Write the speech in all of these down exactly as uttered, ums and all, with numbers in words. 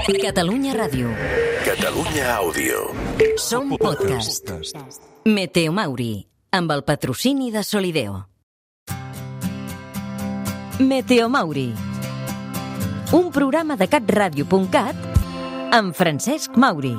Catalunya Ràdio. Catalunya Àudio. Som podcast. Meteo Mauri, amb el patrocini de Solideo. Meteo Mauri, un programa de catradio punt cat amb Francesc Mauri.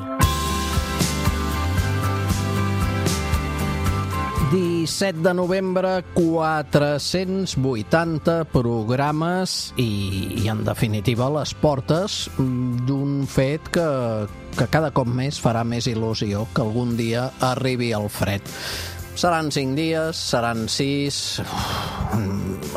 disset de novembre, quatre-cents vuitanta programes i, i en definitiva, les portes d'un fet que, que cada cop més farà més il·lusió que algun dia arribi el fred. Seran cinc dies, seran sis...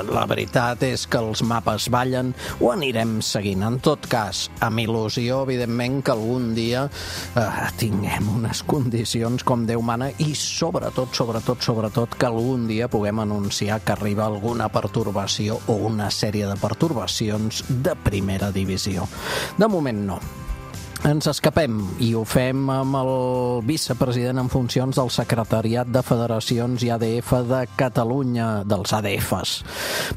La veritat és que els mapes ballen, ho anirem seguint. En tot cas, amb il·lusió, evidentment, que algun dia eh, tinguem unes condicions com Déu mana i sobretot, sobretot, sobretot, que algun dia puguem anunciar que arriba alguna pertorbació o una sèrie de pertorbacions de primera divisió. De moment no. Ens escapem i ho fem amb el vicepresident en funcions del Secretariat de Federacions i A D F de Catalunya, dels A D Fs.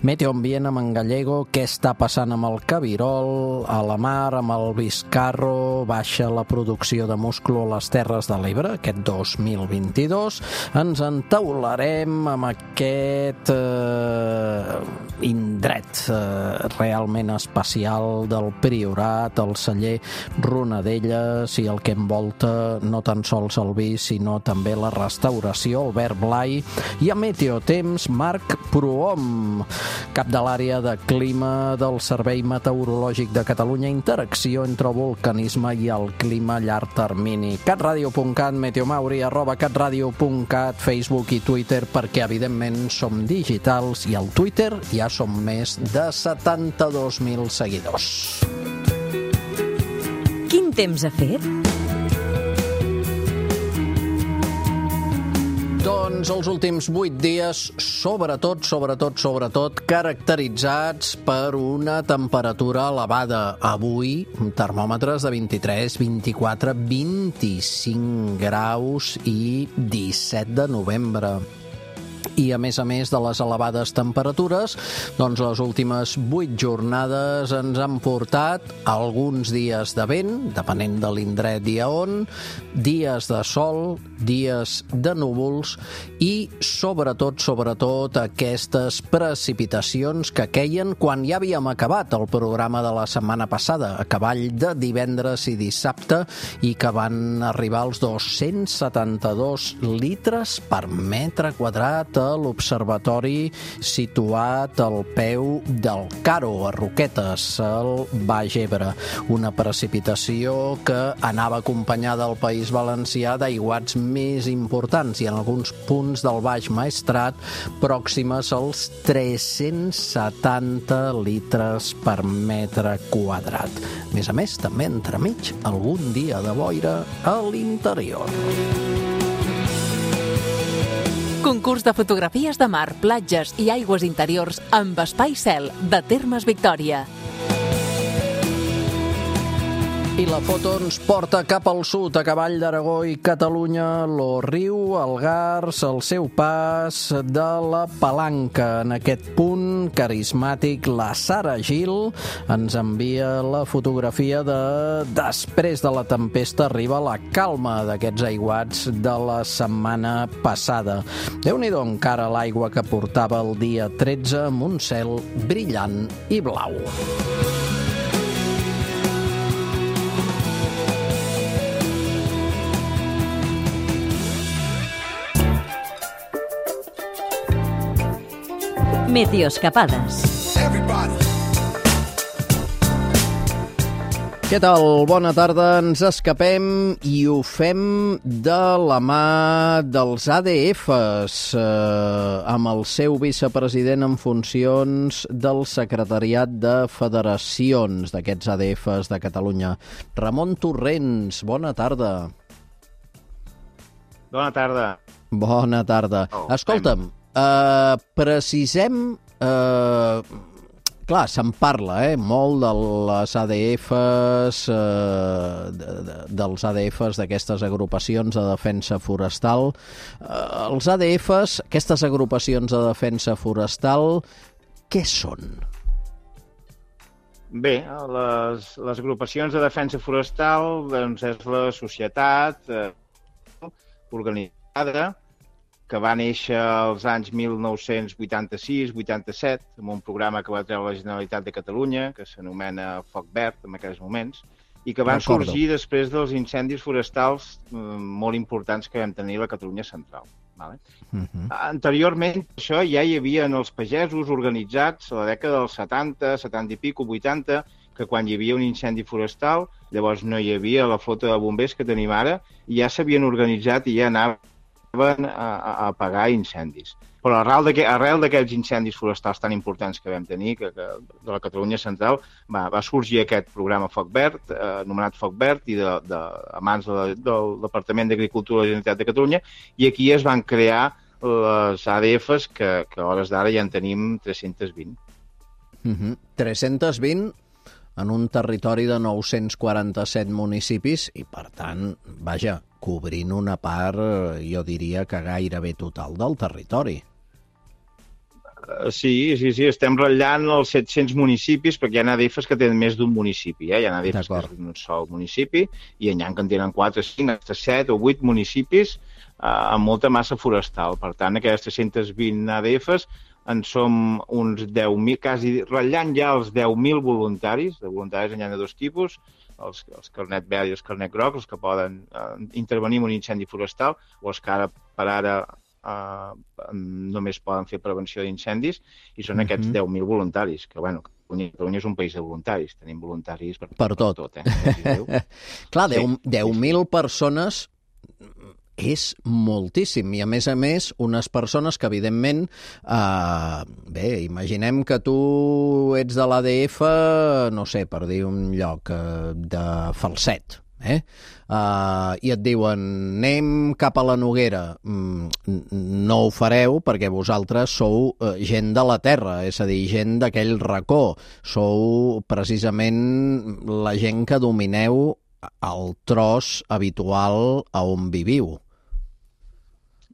Meteo Ambient amb en Gallego, què està passant amb el Cabirol, a la mar, amb el Vizcarro, baixa la producció de musclo a les Terres de l'Ebre, aquest dos mil vint-i-dos. Ens entaularem amb aquest eh, indret eh, realment especial del Priorat, el celler Ronadella, i el que envolta no tan sols el vi, sinó també la restauració, Albert Blai, i a Meteotemps, Marc Prohom, cap de l'àrea de clima del Servei Meteorològic de Catalunya, interacció entre el vulcanisme i el clima a llarg termini. catradio punt cat, meteomauri, arroba catradio punt cat, Facebook i Twitter, perquè evidentment som digitals i al Twitter ja som més de setanta-dos mil seguidors. Quin temps ha fet? Doncs els últims vuit dies, sobretot, sobretot, sobretot, caracteritzats per una temperatura elevada. Avui, termòmetres de vint-i-tres, vint-i-quatre, vint-i-cinc graus i disset de novembre. I, a més a més de les elevades temperatures, doncs les últimes vuit jornades ens han portat alguns dies de vent, depenent de l'indret i a on, dies de sol, dies de núvols i, sobretot, sobretot, aquestes precipitacions que queien quan ja havíem acabat el programa de la setmana passada, a cavall de divendres i dissabte, i que van arribar als dos-cents setanta-dos litres per metre quadrat a l'observatori situat al peu del Caro, a Roquetes, al Baix Ebre. Una precipitació que anava acompanyada al País Valencià d'aiguats més importants i en alguns punts del Baix Maestrat pròximes als tres-cents setanta litres per metre quadrat. A més a més, també entremig algun dia de boira a l'interior. Concurs de fotografies de mar, platges i aigües interiors amb Espai Cel de Termes Victòria. I la foto ens porta cap al sud, a cavall d'Aragó i Catalunya, l'Orriu, el Gars, el seu pas de la Palanca. En aquest punt carismàtic, la Sara Gil ens envia la fotografia de després de la tempesta arriba la calma d'aquests aiguats de la setmana passada. Déu-n'hi-do encara l'aigua que portava el dia tretze amb un cel brillant i blau. Meteoscapades. Què tal? Bona tarda. Ens escapem i ho fem de la mà dels A D Fs, eh, amb el seu vicepresident en funcions del Secretariat de Federacions d'aquests A D Fs de Catalunya. Ramon Torrents, bona tarda. Bona tarda. Bona tarda. Oh, Escolta'm, Uh, precisem, uh, clar, se'n parla eh, molt de les A D Fs, uh, de, de, dels A D Fs, d'aquestes agrupacions de defensa forestal. Uh, els A D Fs, aquestes agrupacions de defensa forestal, què són? Bé, les, les agrupacions de defensa forestal doncs, és la societat eh, organitzada que va néixer als anys mil nou-cents vuitanta-sis vuitanta-set amb un programa que va treure la Generalitat de Catalunya, que s'anomena Foc Verd en aquells moments, i que van Recordo. sorgir després dels incendis forestals eh, molt importants que vam tenir a la Catalunya central. Vale? Uh-huh. Anteriorment, això ja hi havia en els pagesos organitzats a la dècada dels setanta, setanta i pico, vuitanta, que quan hi havia un incendi forestal, llavors no hi havia la flota de bombers que tenim ara, i ja s'havien organitzat i ja anaven a, a, a apagar incendis. Però arrel d'aquest- arrel d'aquests incendis forestals tan importants que vam tenir, que, que de la Catalunya central, va, va sorgir aquest programa Foc Verd, eh, anomenat Foc Verd, i de, de, a mans de, la- del Departament d'Agricultura de la Generalitat de Catalunya, i aquí es van crear les A D Fs, que, que a hores d'ara ja en tenim tres-cents vint. Uh-huh. tres-cents vint en un territori de nou-cents quaranta-set municipis i, per tant, vaja, cobrint una part, eh, jo diria que gairebé total del territori. Uh, sí, sí, sí, estem ratllant els set-cents municipis, perquè hi ha A D Fs que tenen més d'un municipi, eh? Hi ha A D Fs que D'acord. és d'un sol municipi, i hi ha que en tenen quatre, cinc, fins a set o vuit municipis uh, amb molta massa forestal. Per tant, aquestes tres-cents vint A D Fs en som uns deu mil, quasi ratllant ja els deu mil voluntaris. De voluntaris n'hi ha de dos tipus, els, els carnet verd i els carnet groc, els que poden uh, intervenir en un incendi forestal, o els que ara, per ara, Uh, només poden fer prevenció d'incendis, i són aquests Mhm. deu mil voluntaris, que, bueno, Catalunya és un país de voluntaris, tenim voluntaris per, Per tot. tot eh? Com es diu. Clar, Sí, deu sí, mil persones és moltíssim, i a més a més unes persones que evidentment eh, bé, imaginem que tu ets de l'A D F, no sé, per dir un lloc eh, de Falset, eh? Uh, i et diuen anem cap a la Noguera. Mm, no ho fareu perquè vosaltres sou uh, gent de la terra, és a dir, gent d'aquell racó, sou precisament la gent que domineu el tros habitual a on viviu.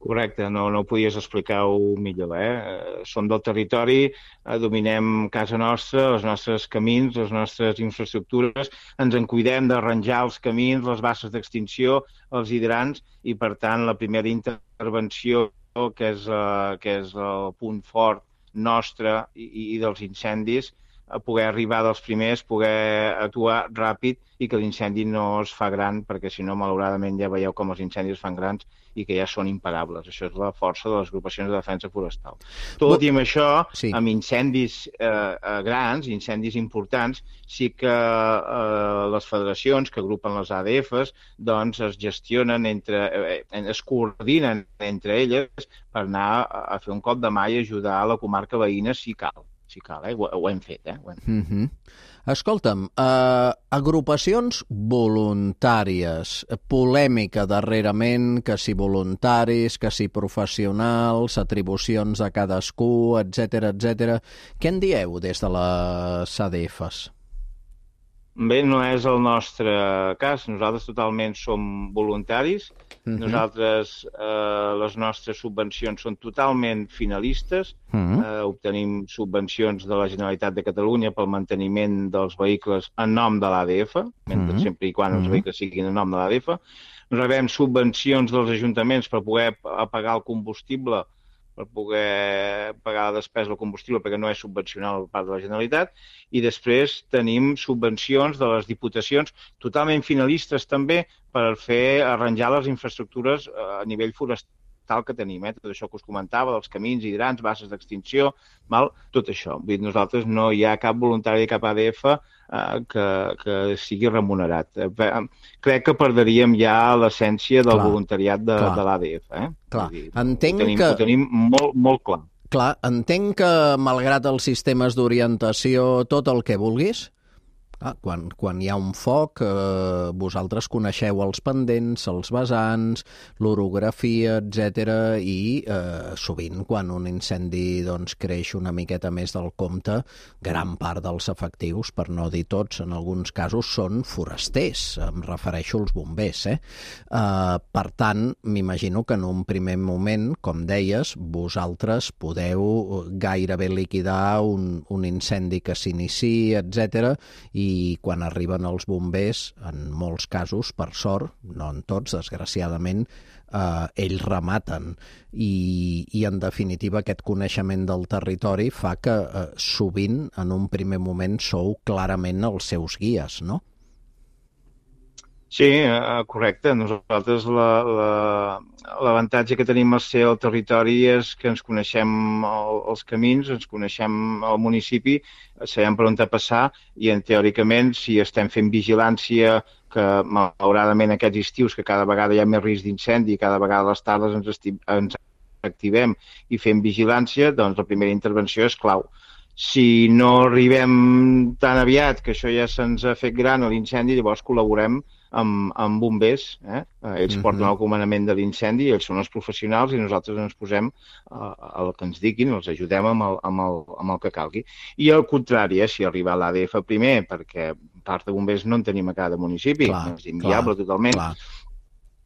Correcte, no, no ho podies explicar-ho millor. Eh? Som del territori, eh, dominem casa nostra, els nostres camins, les nostres infraestructures, ens en cuidem d'arranjar els camins, les basses d'extinció, els hidrants, i per tant la primera intervenció, que és, eh, que és el punt fort nostre i, i dels incendis, a poder arribar dels primers, poder actuar ràpid i que l'incendi no es fa gran, perquè si no, malauradament, ja veieu com els incendis es fan grans i que ja són imparables. Això és la força de les agrupacions de defensa forestal. Tot i amb això, Sí. amb incendis eh, grans, incendis importants, sí que eh, les federacions que agrupen les A D Fs doncs es gestionen, entre, eh, es coordinen entre elles per anar a, a fer un cop de mà i ajudar a la comarca veïna si cal. Si cal, eh? ho, ho hem fet, eh? Ho hem fet. Mm-hmm. Escolta'm, eh, agrupacions voluntàries, polèmica darrerament, que si voluntaris, que si professionals, atribucions a cadascú, etcètera, etcètera. Què en dieu des de les A D Fs? Bé, no és el nostre cas. Nosaltres totalment som voluntaris. Mm-hmm. Nosaltres, eh, les nostres subvencions són totalment finalistes. Mm-hmm. Eh, obtenim subvencions de la Generalitat de Catalunya pel manteniment dels vehicles en nom de l'A D F, mentre Mhm. sempre i quan els Mhm. vehicles siguin en nom de l'A D F. Rebem subvencions dels ajuntaments per poder p- pagar el combustible, per poder pagar la despesa del combustible, perquè no és subvencional per part de la Generalitat, i després tenim subvencions de les diputacions totalment finalistes també per fer arranjar les infraestructures eh, a nivell forestal que tenim, eh? Tot això que us comentava, dels camins, hidrants, basses d'extinció, val? Tot això. Vull dir, nosaltres no hi ha cap voluntari de cap A D F eh, que, que sigui remunerat. Eh, crec que perdríem ja l'essència del Clar, voluntariat de, clar. de l'A D F. Eh? Clar, Vull dir, entenc ho tenim, que- Ho tenim molt, molt clar. Clar, entenc que, malgrat els sistemes d'orientació, tot el que vulguis, Ah, quan, quan hi ha un foc, eh, vosaltres coneixeu els pendents, els vessants, l'orografia, etcètera, i eh, sovint quan un incendi doncs, creix una miqueta més del compte, gran part dels efectius, per no dir tots, en alguns casos són forasters, em refereixo als bombers. Eh? Eh, per tant, m'imagino que en un primer moment, com deies, vosaltres podeu gairebé liquidar un, un incendi que s'inici, etcètera, i i quan arriben els bombers, en molts casos, per sort, no en tots, desgraciadament, eh, ells rematen. I, i, en definitiva, aquest coneixement del territori fa que eh, sovint, en un primer moment, sou clarament els seus guies, no? Sí, correcte. Nosaltres l'avantatge la, la, que tenim al ser al territori és que ens coneixem el, els camins, ens coneixem el municipi, sabem per on passar i, en, teòricament, si estem fent vigilància, que malauradament aquests estius, que cada vegada hi ha més risc d'incendi, cada vegada a les tardes ens, esti, ens activem i fem vigilància, doncs la primera intervenció és clau. Si no arribem tan aviat, que això ja se'ns ha fet gran a l'incendi, llavors col·laborem amb, amb bombers. Eh? Ells porten el comandament de l'incendi, ells són els professionals i nosaltres ens posem uh, el que ens diguin, els ajudem amb el, amb el, amb el que calgui. I al contrari, eh, si arriba l'A D F primer, perquè part de bombers no en tenim a cada municipi, clar, no és inviable clar, totalment, clar.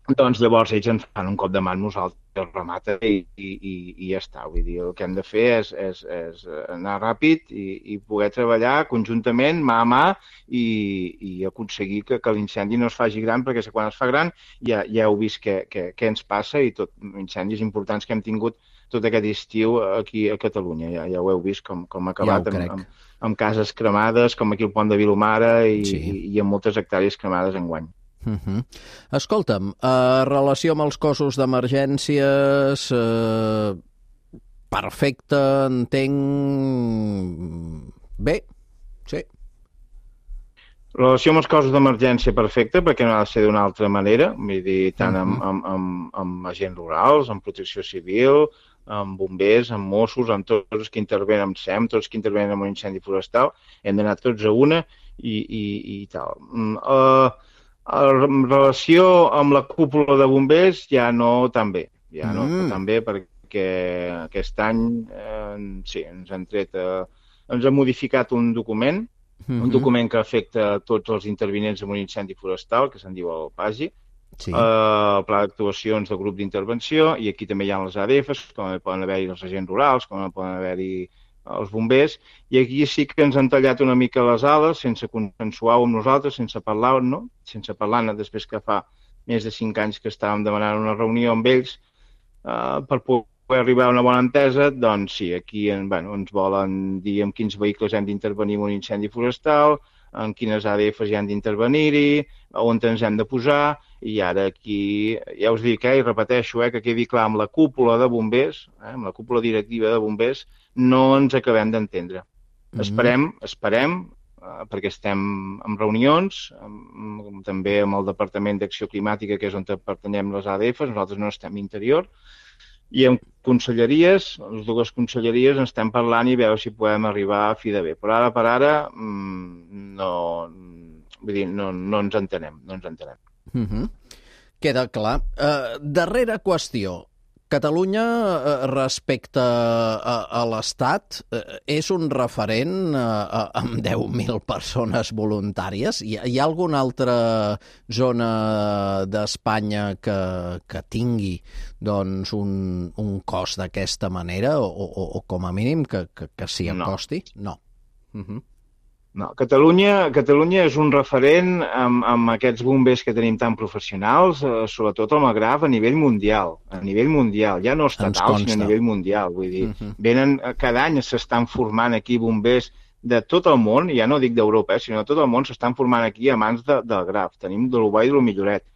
Doncs llavors ells ens fan un cop de mà amb nosaltres, remata i, i, i ja està. Vull dir, el que hem de fer és, és, és anar ràpid i, i poder treballar conjuntament, mà a mà, i, i aconseguir que, que l'incendi no es faci gran, perquè quan es fa gran ja, ja heu vist què, què, què ens passa i tot incendis importants que hem tingut tot aquest estiu aquí a Catalunya. Ja, ja ho heu vist com, com ha acabat ja amb, amb, amb cases cremades, com aquí el pont de Vilomara i, sí. i, i amb moltes hectàrees cremades enguany. Uh -huh. Escolta'm, en relació amb els cossos d'emergències, eh, perfecte, entenc... Bé, sí. Relació amb els cossos d'emergència perfecta, perquè no ha de ser d'una altra manera, vull dir, tant uh -huh. amb, amb, amb, amb agents rurals, amb protecció civil, amb bombers, amb Mossos, amb tots els que intervenen amb S E M, tots els que intervenen en un incendi forestal, hem d'anar tots a una i, i, i tal. Uh, En relació amb la cúpula de bombers, ja no tan bé. Ja no mm. tan bé perquè aquest any eh, sí, ens han tret, eh, ens ha modificat un document, mm-hmm. un document que afecta tots els intervinents en un incendi forestal, que se'n diu el PAGI, sí. eh, el Pla d'Actuacions del Grup d'Intervenció, i aquí també hi ha les A D Fs, com poden haver-hi els agents rurals, com poden haver-hi els bombers, i aquí sí que ens han tallat una mica les ales, sense consensuar-ho amb nosaltres, sense parlar, no? Sense parlar-ne, després que fa més de cinc anys que estàvem demanant una reunió amb ells eh, per poder arribar a una bona entesa, doncs sí, aquí bueno, ens volen dir amb quins vehicles hem d'intervenir en un incendi forestal, en quines A D Fs hi han d'intervenir-hi, on ens hem de posar, i ara aquí, ja us dic, eh, i repeteixo, eh, que quedi clar, amb la cúpula de bombers, eh, amb la cúpula directiva de bombers, no ens acabem d'entendre. Mm-hmm. Esperem, esperem, eh, perquè estem en reunions, amb, també amb el Departament d'Acció Climàtica, que és on pertanyem les A D Fs, nosaltres no estem interior, i amb conselleries, les dues conselleries, ens estem parlant i veure si podem arribar a fi de bé. Però ara per ara no, vull dir, no, no ens entenem, no ens entenem. Uh-huh. Queda clar. Uh, darrera qüestió. Catalunya, uh, respecte a, a l'Estat, uh, és un referent uh, amb deu mil persones voluntàries. Hi, hi ha alguna altra zona d'Espanya que, que tingui doncs, un, un cos d'aquesta manera o, o, o com a mínim que, que, que s'hi acosti? No. no. Uh-huh. No, Catalunya, Catalunya és un referent amb, amb aquests bombers que tenim tan professionals, eh, sobretot al Magreb, a nivell mundial. A nivell mundial, ja no estatal, sinó a nivell mundial. Vull dir, uh-huh. venen, cada any s'estan formant aquí bombers de tot el món, ja no dic d'Europa, eh, sinó de tot el món, s'estan formant aquí a mans de, del Graf. Tenim de l'Ubà i de l'Milloret.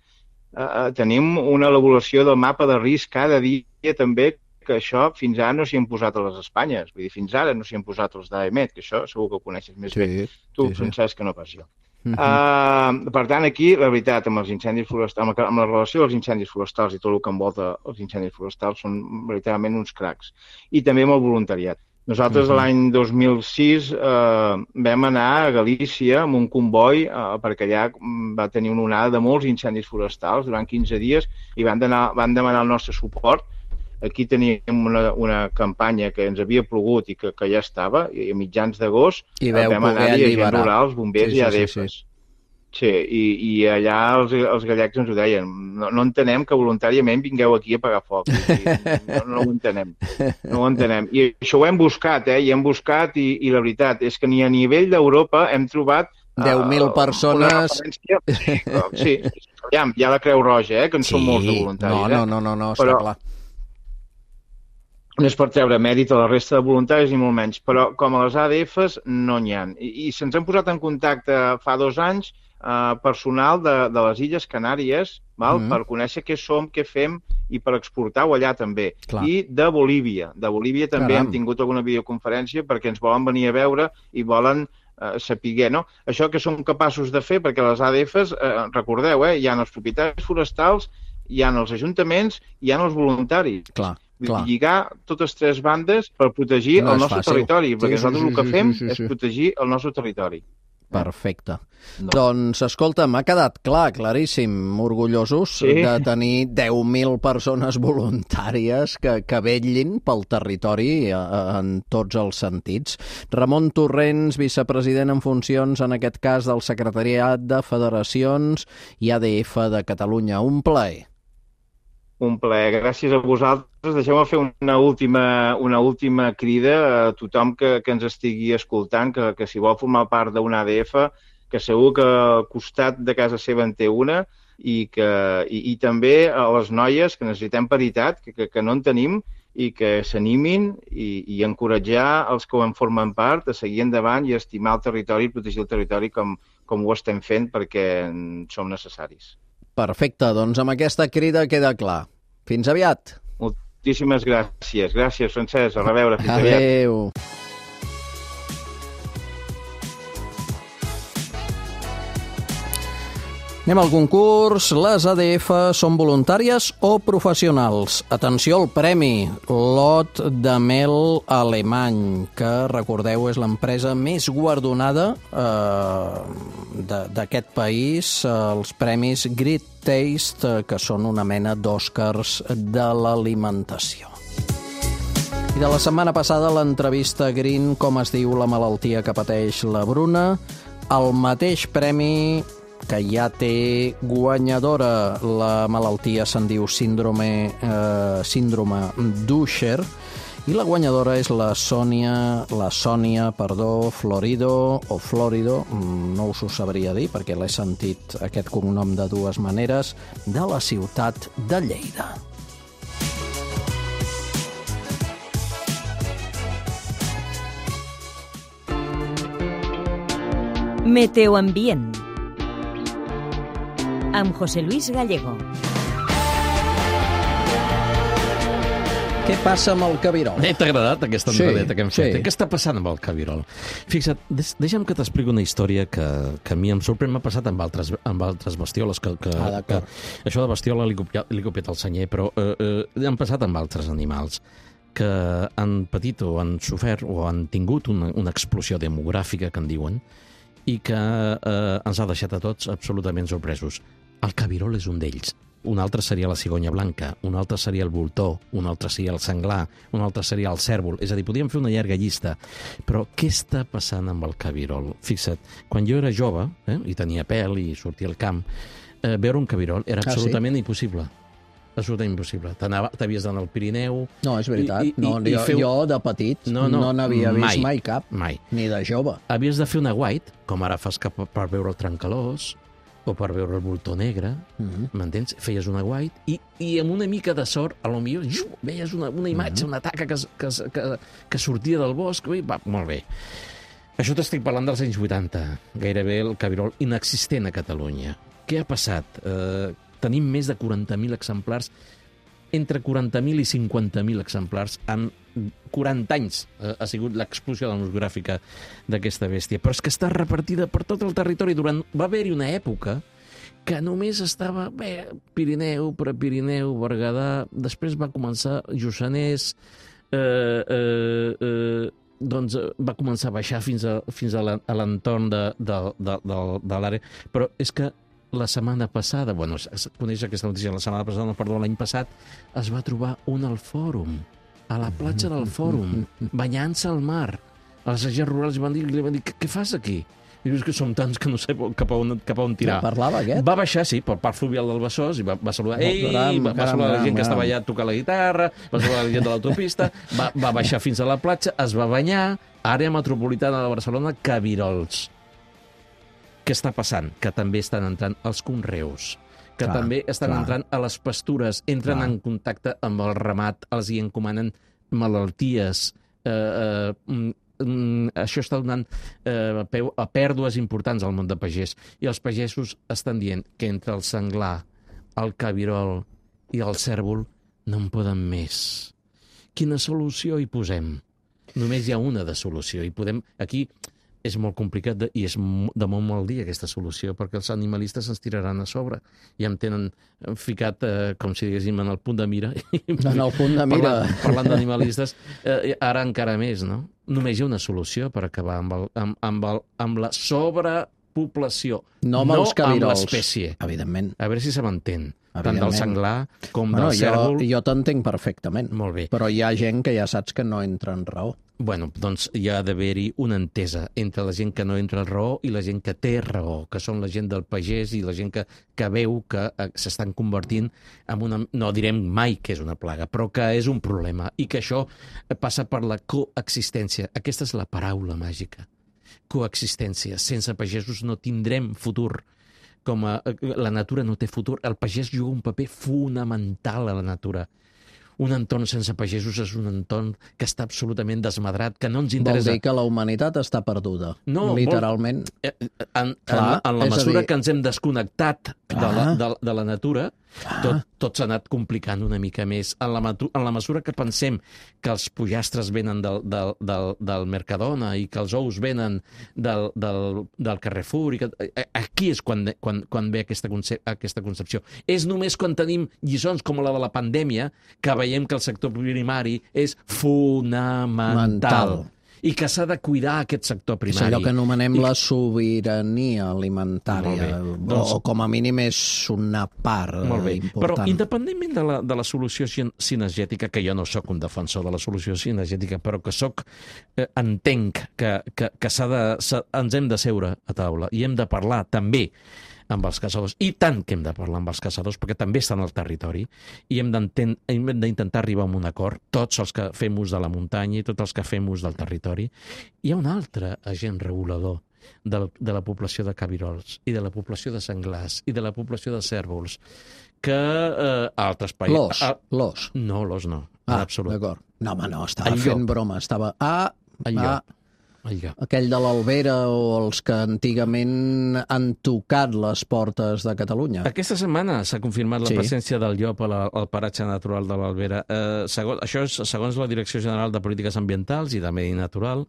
Eh, eh, tenim una elaboració del mapa de risc cada dia també, que això fins ara no s'hi han posat a les Espanyes. Vull dir, fins ara no s'hi han posat els d'A E M E T, que això segur que ho coneixes més sí, bé. Tu, sí, Francesc, sí. que no pas jo. Uh-huh. uh, per tant, aquí, la veritat, amb els incendis forestals, amb, amb la relació dels incendis forestals i tot el que envolta els incendis forestals són veritablement uns cracs. I també amb el voluntariat. Nosaltres uh-huh. l'any dos mil sis eh, vam anar a Galícia amb un comboi eh, perquè allà va tenir una onada de molts incendis forestals durant quinze dies i van, anar, van demanar el nostre suport. Aquí teníem una, una campanya que ens havia plogut i que, que ja estava, i a mitjans d'agost vam anar-hi a gent rural, els bombers sí, sí, i A D Fs. Sí, sí. Sí, i, i allà els, els gallecs ens ho deien. No, no entenem que voluntàriament vingueu aquí a apagar foc. I, no, no ho entenem. No ho entenem. I això ho hem buscat, eh? I hem buscat i, i la veritat és que ni a nivell d'Europa hem trobat... deu mil uh, persones... Sí, ja, hi ha la Creu Roja, eh? Que en sí, són molts de voluntaris. No, no, no, no, no està però, clar. No és per treure mèrit a la resta de voluntaris ni molt menys, però com a les A D Fs no n'hi ha. I, i se'ns han posat en contacte fa dos anys Uh, personal de, de les Illes Canàries, val? Mm-hmm. Per conèixer què som, què fem i per exportar-ho allà també. Clar. I de Bolívia. De Bolívia també Caram. Hem tingut alguna videoconferència perquè ens volen venir a veure i volen uh, saber, no? Això que som capaços de fer, perquè les A D Fs, uh, recordeu, eh, hi ha els propietaris forestals, hi ha els ajuntaments, hi ha els voluntaris. Clar. Clar. Lligar totes tres bandes per protegir no el nostre fàcil. territori, perquè sí, nosaltres sí, sí, el que fem sí, sí, sí. és protegir el nostre territori. Perfecte. No. Doncs, escolta, m'ha quedat clar, claríssim, orgullosos sí. de tenir deu mil persones voluntàries que, que vetllin pel territori en tots els sentits. Ramon Torrents, vicepresident en funcions, en aquest cas del Secretariat de Federacions i A D F de Catalunya. Un plaer. Un plaer. Gràcies a vosaltres. Deixeu-me fer una última, una última crida a tothom que, que ens estigui escoltant, que, que si vol formar part d'una A D F, que segur que al costat de casa seva en té una, i, que, i, i també a les noies que necessitem paritat, que, que, que no en tenim, i que s'animin i, i encoratjar els que en formen part a seguir endavant i estimar el territori i protegir el territori com, com ho estem fent perquè som necessaris. Perfecte, doncs amb aquesta crida queda clar. Fins aviat. Moltíssimes gràcies. Gràcies, Francesc. A reveure. Fins aviat. Adéu. Anem al concurs. Les A D F són voluntàries o professionals? Atenció al premi. Lot de mel alemany, que, recordeu, és l'empresa més guardonada eh, d'aquest país. Els premis Great Taste, que són una mena d'Oscars de l'alimentació. I de la setmana passada, l'entrevista Green, com es diu la malaltia que pateix la Bruna, el mateix premi que ja té guanyadora. La malaltia se'n diu síndrome, eh, síndrome d'Usher, i la guanyadora és la Sònia, la Sònia, perdó, Florido, o Florido, no us ho sabria dir perquè l'he sentit aquest cognom de dues maneres, de la ciutat de Lleida. Meteoambient amb José Luis Gallego. Què passa amb el cabirol? Eh, T'ha agradat aquesta entradeta sí, que hem fet? Sí. Què està passant amb el cabirol? Fixa't, deixa'm que t'expliqui una història que, que a mi em sorprèn. M'ha passat amb altres, amb altres bestioles. Que, que, ah, que, això de bestiola li he copiat el senyer, però eh, eh, han passat amb altres animals que han patit o han sofert o han tingut una, una explosió demogràfica, que en diuen, i que eh, ens ha deixat a tots absolutament sorpresos. El cabirol és un d'ells. Un altre seria la cigonya blanca, un altre seria el voltor, un altre seria el senglar, un altre seria el cèrvol. És a dir, podríem fer una llarga llista. Però què està passant amb el cabirol? Fixa't, quan jo era jove, eh, i tenia pèl i sortia al camp, eh, veure un cabirol era absolutament ah, sí? impossible. Absolutament impossible. T'havies d'anar al Pirineu... No, és veritat. I, i, no, i, jo, feu... jo, de petit, no, no, no n'havia vist mai, mai cap. Mai. Ni de jove. Havies de fer una white, com ara fas cap per veure el trencalós, o per veure el voltor negre, uh-huh. m'entens? Feies una white, i, i amb una mica de sort, a lo millor, xiu, veies una, una imatge, uh-huh. una taca que, que, que, que sortia del bosc, i va, molt bé. Això t'estic parlant dels anys vuitanta, gairebé el cabirol inexistent a Catalunya. Què ha passat? Eh, tenim més de quaranta mil exemplars, entre quaranta mil i cinquanta mil exemplars en quaranta anys eh, ha sigut l'explosió demogràfica d'aquesta bèstia. Però és que està repartida per tot el territori. Durant... Va haver-hi una època que només estava bé, Pirineu, Prepirineu, Berguedà, després va començar Lluçanès, eh, eh, eh, doncs va començar a baixar fins a, fins a l'entorn de, de, de, de, de l'àrea. Però és que la setmana passada, bueno, es coneix aquesta notícia, la setmana passada, no, perdó, l'any passat, es va trobar un al Fòrum, a la platja del Fòrum, banyant-se al mar. Els agents rurals van dir, li van dir, què fas aquí? I dius que som tants que no sé cap a on, cap a on tirar. Ja parlava aquest? Va baixar, sí, pel parc fluvial del Besòs i va, va saludar, Oh, ei, caram, va, va caram, saludar la gent caram, que estava caram. allà a tocar la guitarra, va saludar la gent de l'autopista, va, va baixar fins a la platja, es va banyar, àrea metropolitana de Barcelona, Cabirols. Què està passant? Que també estan entrant els conreus, que Clar, també estan clar. entrant a les pastures, entren Clar. en contacte amb el ramat, els hi encomanen malalties, eh, eh, mm, mm, això està donant eh, peu a pèrdues importants al món de pagès. I els pagesos estan dient que entre el senglar, el cabirol i el cèrvol no en poden més. Quina solució hi posem? Només hi ha una de solució. I podem... Aquí és molt complicat de, i és de molt mal dia aquesta solució, perquè els animalistes ens tiraran a sobre i em tenen ficat, eh, com si diguéssim, en el punt de mira. En el punt de mira. Parlant, parlant d'animalistes, eh, ara encara més, no? Només hi ha una solució per acabar amb, el, amb, amb, el, amb la sobrepoblació, No amb els amb cabirols. l'espècie. Evidentment. A veure si se m'entén. Tant del Evidentment. senglar com Bueno, del cèrvol. jo, jo t'entenc perfectament. Molt bé. Però hi ha gent que ja saps que no entra en raó. Bueno, doncs hi ha d'haver-hi una entesa entre la gent que no entra en raó i la gent que té raó, que són la gent del pagès i la gent que, que veu que eh, s'estan convertint en una... No direm mai que és una plaga, però que és un problema i que això passa per la coexistència. Aquesta és la paraula màgica. Coexistència. Sense pagesos no tindrem futur. Com a, la natura no té futur. El pagès juga un paper fonamental a la natura. Un entorn sense pagesos és un entorn que està absolutament desmadrat, que no ens Vol interessa. dir que la humanitat està perduda. No, literalment. Eh, En, Clar, en, en la és a mesura dir- que ens hem desconnectat de la, Clar. de, de la natura, tot, tot s'ha anat complicant una mica més. En la, matu- en la mesura que pensem que els pollastres venen del, del, del, del Mercadona i que els ous venen del, del, del Carrefour, i que, eh, aquí és quan, quan, quan ve aquesta, concep aquesta concepció. És només quan tenim lliçons com la de la pandèmia que veiem que el sector primari és fonamental. Mental. I que s'ha de cuidar aquest sector És primari. allò que anomenem I la sobirania alimentària, Molt bé. o, Doncs- o com a mínim és una part Molt bé, eh, important. però independentment de la, de la solució sin- cinegètica, que jo no sóc un defensor de la solució cinegètica, però que sóc, eh, entenc que, que, que s'ha de, s'ha, ens hem de seure a taula i hem de parlar també amb els caçadors, i tant que hem de parlar amb els caçadors, perquè també estan al territori, i hem d'intentar arribar a un acord, tots els que fem ús de la muntanya i tots els que fem ús del territori. Hi ha un altre agent regulador de la, de la població de cabirols, i de la població de senglars, i de la població de cèrvols, que eh, a altres països... L'os, Ah, l'os. no, l'os no, en Ah, absolut. d'acord. No, home, no, estava El fent llop. broma. Estava... Ah, El ah, llop. El llop. aquell de l'Albera o els que antigament han tocat les portes de Catalunya. Aquesta setmana s'ha confirmat la Sí. presència del llop a la, al paratge natural de l'Albera. Eh, segons, això és segons la Direcció General de Polítiques Ambientals i de Medi Natural,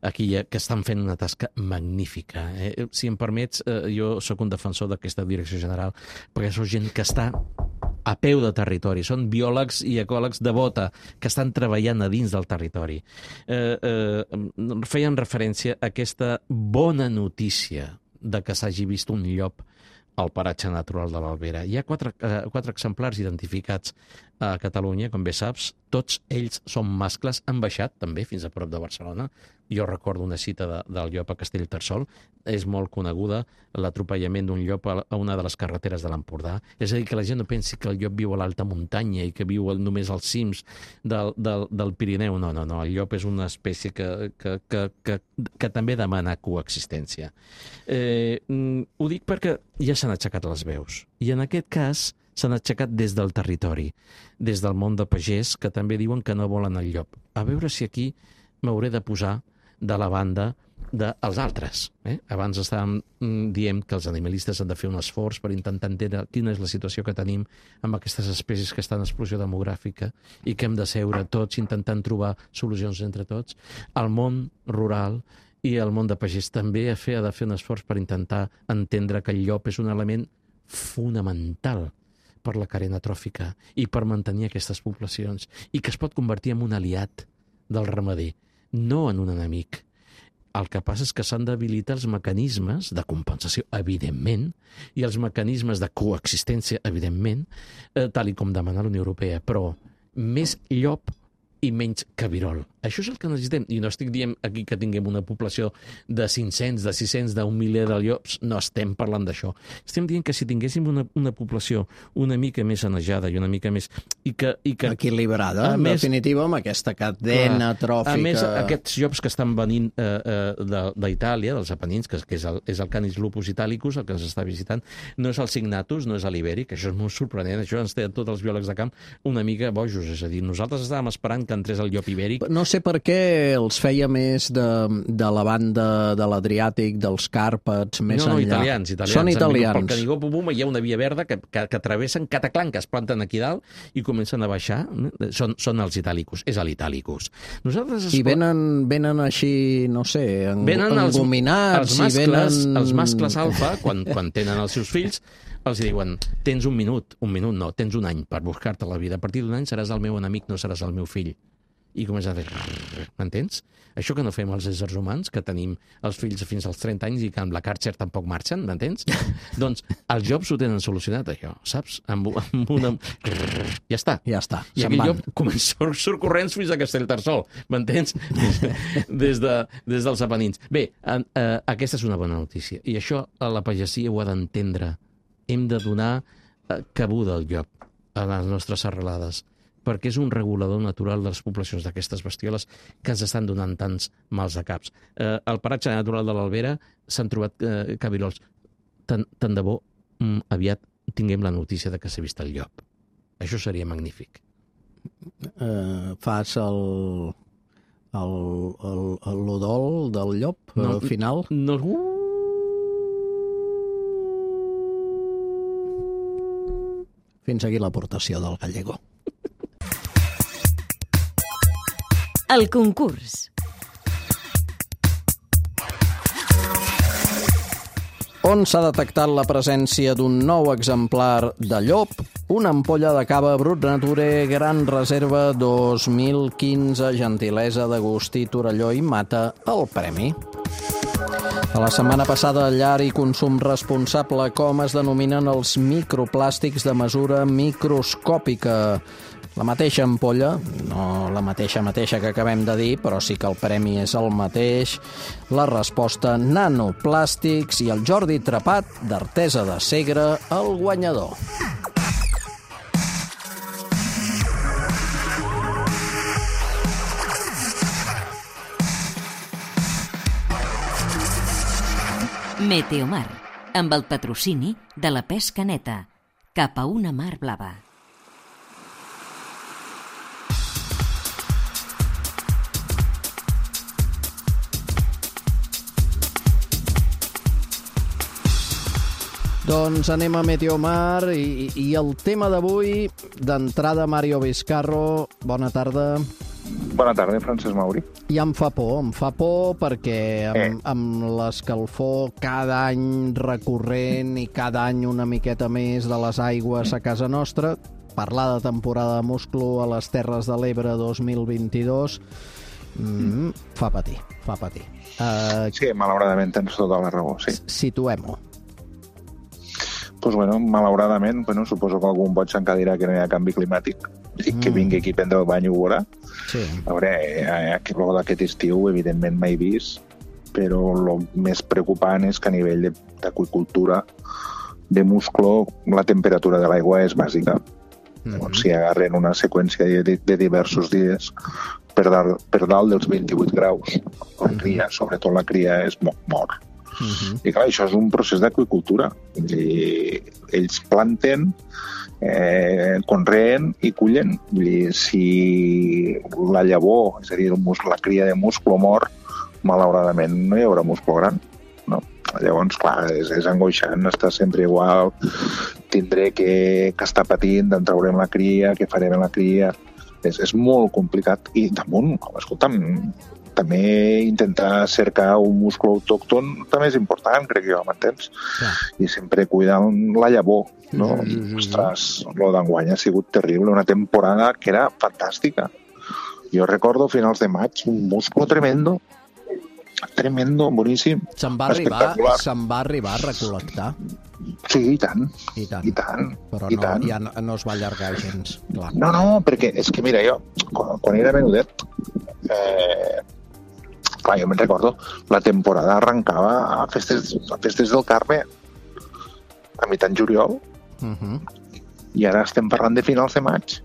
aquí hi ha, que estan fent una tasca magnífica. Eh? Si em permets, eh, jo sóc un defensor d'aquesta Direcció General, perquè sóc gent que està a peu de territori, són biòlegs i ecòlegs de bota que estan treballant a dins del territori. Eh, eh, feien referència a aquesta bona notícia de que s'hagi vist un llop al paratge natural de l'Albera. Hi ha quatre, eh, quatre exemplars identificats a Catalunya, com bé saps. Tots ells són mascles, han baixat també fins a prop de Barcelona. Jo recordo una cita de, del llop a Castellterçol. És molt coneguda l'atropellament d'un llop a, a una de les carreteres de l'Empordà. És a dir, que la gent no pensi que el llop viu a l'alta muntanya i que viu només als cims del, del, del Pirineu. No, no, no. El llop és una espècie que, que, que, que, que també demana coexistència. Eh, ho dic perquè ja s'han aixecat les veus. I en aquest cas s'han aixecat des del territori, des del món de pagès, que també diuen que no volen el llop. A veure si aquí m'hauré de posar de la banda dels altres. Eh? Abans estàvem dient que els animalistes han de fer un esforç per intentar entendre quina és la situació que tenim amb aquestes espècies que estan en explosió demogràfica i que hem de seure tots intentant trobar solucions entre tots. El món rural i el món de pagès també ha de fer un esforç per intentar entendre que el llop és un element fonamental per la carena tròfica i per mantenir aquestes poblacions, i que es pot convertir en un aliat del ramader, no en un enemic. El que passa és que s'han d'habilitar els mecanismes de compensació, evidentment, i els mecanismes de coexistència, evidentment, eh, tal i com demana la Unió Europea, però més llop i menys cabirol. Això és el que necessitem. I no estic dient aquí que tinguem una població de cinc-cents, de sis-cents, d'un miler de llops. No estem parlant d'això. Estem dient que si tinguéssim una, una població una mica més sanejada i una mica més... I que, i que, equilibrada, en més, definitiva, amb aquesta cadena clar, tròfica... A més, aquests llops que estan venint eh, eh, d'Itàlia, dels Apenins, que, que és, el, és el Canis lupus italicus, el que ens està visitant, no és el Signatus, no és l'Ibèric, això és molt sorprenent, això ens té tots els biòlegs de camp una mica bojos, és a dir, nosaltres estàvem esperant que entrés el llop ibèric. No sé per què els feia més de, de la banda de l'Adriàtic, dels Càrpats, més no, no, enllà. italians, italians. Són italians. Pel Canigó Pupuma hi ha una via verda que, que, que travessen Cataclan, que es planten aquí dalt i comencen a baixar. Són, són els itàlicus, és l'Italicus. Nosaltres... I venen, venen així, no sé, en, engominats... Els, els, mascles, venen... els mascles alfa, quan, quan tenen els seus fills, els diuen, tens un minut, un minut no, tens un any per buscar-te la vida. A partir d'un any seràs el meu enemic, no seràs el meu fill. I comença a fer... M'entens? Això que no fem els éssers humans, que tenim els fills fins als trenta anys i que amb la Karcher tampoc marxen, m'entens? Doncs els llops ho tenen solucionat, això, saps? Amb, amb una... Ja està. Ja està. I aquell llop comença, surt corrents fins a Castellterçol, m'entens? Des, de, des dels Apenins. Bé, eh, eh, aquesta és una bona notícia. I això la pagesia ho ha d'entendre. Hem de donar eh, cabuda al llop a les nostres serralades, perquè és un regulador natural de les poblacions d'aquestes bestioles que ens estan donant tants mals de caps. Eh, al paratge natural de l'Albera s'han trobat eh, cabirols. Tant, tant de bo mm, aviat tinguem la notícia de que s'ha vist el llop. Això seria magnífic. Eh, fas el... el, el, el l'udol del llop no, al final? No, Fins aquí l'aportació del Gallego. El concurs. On s'ha detectat la presència d'un nou exemplar de llop? Una ampolla de cava Brut Nature Gran Reserva dos mil quinze, gentilesa d'Agustí Torelló i Mata, el premi. A la setmana passada, llar i consum responsable, com es denominen els microplàstics de mesura microscòpica. La mateixa ampolla, no la mateixa mateixa que acabem de dir, però sí que el premi és el mateix. La resposta, nanoplàstics, i el Jordi Trepat, d'Artesa de Segre, el guanyador. Meteomar, amb el patrocini de la pesca neta, cap a una mar blava. Doncs anem a Meteomar i, i el tema d'avui, d'entrada, Mario Vizcarro, bona tarda. Bona tarda, Francesc Mauri. I em fa por, em fa por perquè amb, eh. amb l'escalfor cada any recurrent i cada any una miqueta més de les aigües a casa nostra, parlar de temporada de musclo a les Terres de l'Ebre dos mil vint-i-dos, mm, fa patir, fa patir. Uh, sí, malauradament tens tota la raó, sí. Situem-ho. Pues bueno, malauradament, bueno, suposo que algun boig s'encadirà que no hi ha canvi climàtic i que vingui aquí a prendre el bany ho veurà. Sí. A veure, eh, d'aquest estiu, evidentment, mai vist, però el més preocupant és que a nivell d'aqüicultura, de musclo, la temperatura de l'aigua és bàsica. Mm-hmm. Llavors, si agarren una seqüència de, de diversos dies per, dar, per dalt dels vint-i-vuit graus, la cria, sobretot la cria, és mort. Uh-huh. I clar, això és un procés d'aqüicultura. Ells planten, eh, conreen i cullen. Vull dir, si la llavor, és a dir, la cria de musclo mort, malauradament no hi haurà musclo gran. No? Llavors, clar, és, és angoixant, està sempre igual, tindré que, que estar patint, d'en traurem la cria, què farem amb la cria. És, és molt complicat. I damunt, escolta'm, també intentar cercar un múscul autòcton també és important, crec jo, m'entens? Ja. I sempre cuidar la llavor, no? Mm -hmm. Ostres, lo d'enguany ha sigut terrible, una temporada que era fantàstica. Jo recordo finals de maig, un múscul tremendo, tremendo, boníssim, se'n va arribar, se'n va arribar a recol·lectar. Sí, i tant, i tant, i tant, però i no, tant. ja no, no es va allargar gens, clar. No, no, perquè és que mira, jo, quan, quan era menudet, eh, clar, jo me'n recordo, la temporada arrencava a festes, a festes del Carme, a mitjan juliol, uh -huh. i ara estem parlant de finals de maig.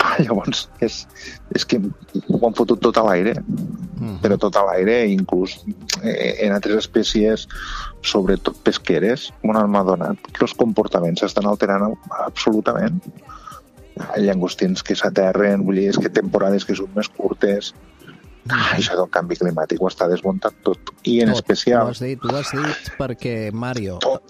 Ah, llavors, és, és que ho han fotut tot a l'aire, uh-huh. però tot a l'aire, inclús eh, en altres espècies, sobretot pesqueres, on m'ha donat que els comportaments s'estan alterant absolutament. Hi ha llangostins que s'aterren, vull dir, és que temporades que són més curtes. Ah, això del canvi climàtic ho està desmuntant tot. I en tot, especial... Ho has dit, ho has dit perquè, Mario, tot.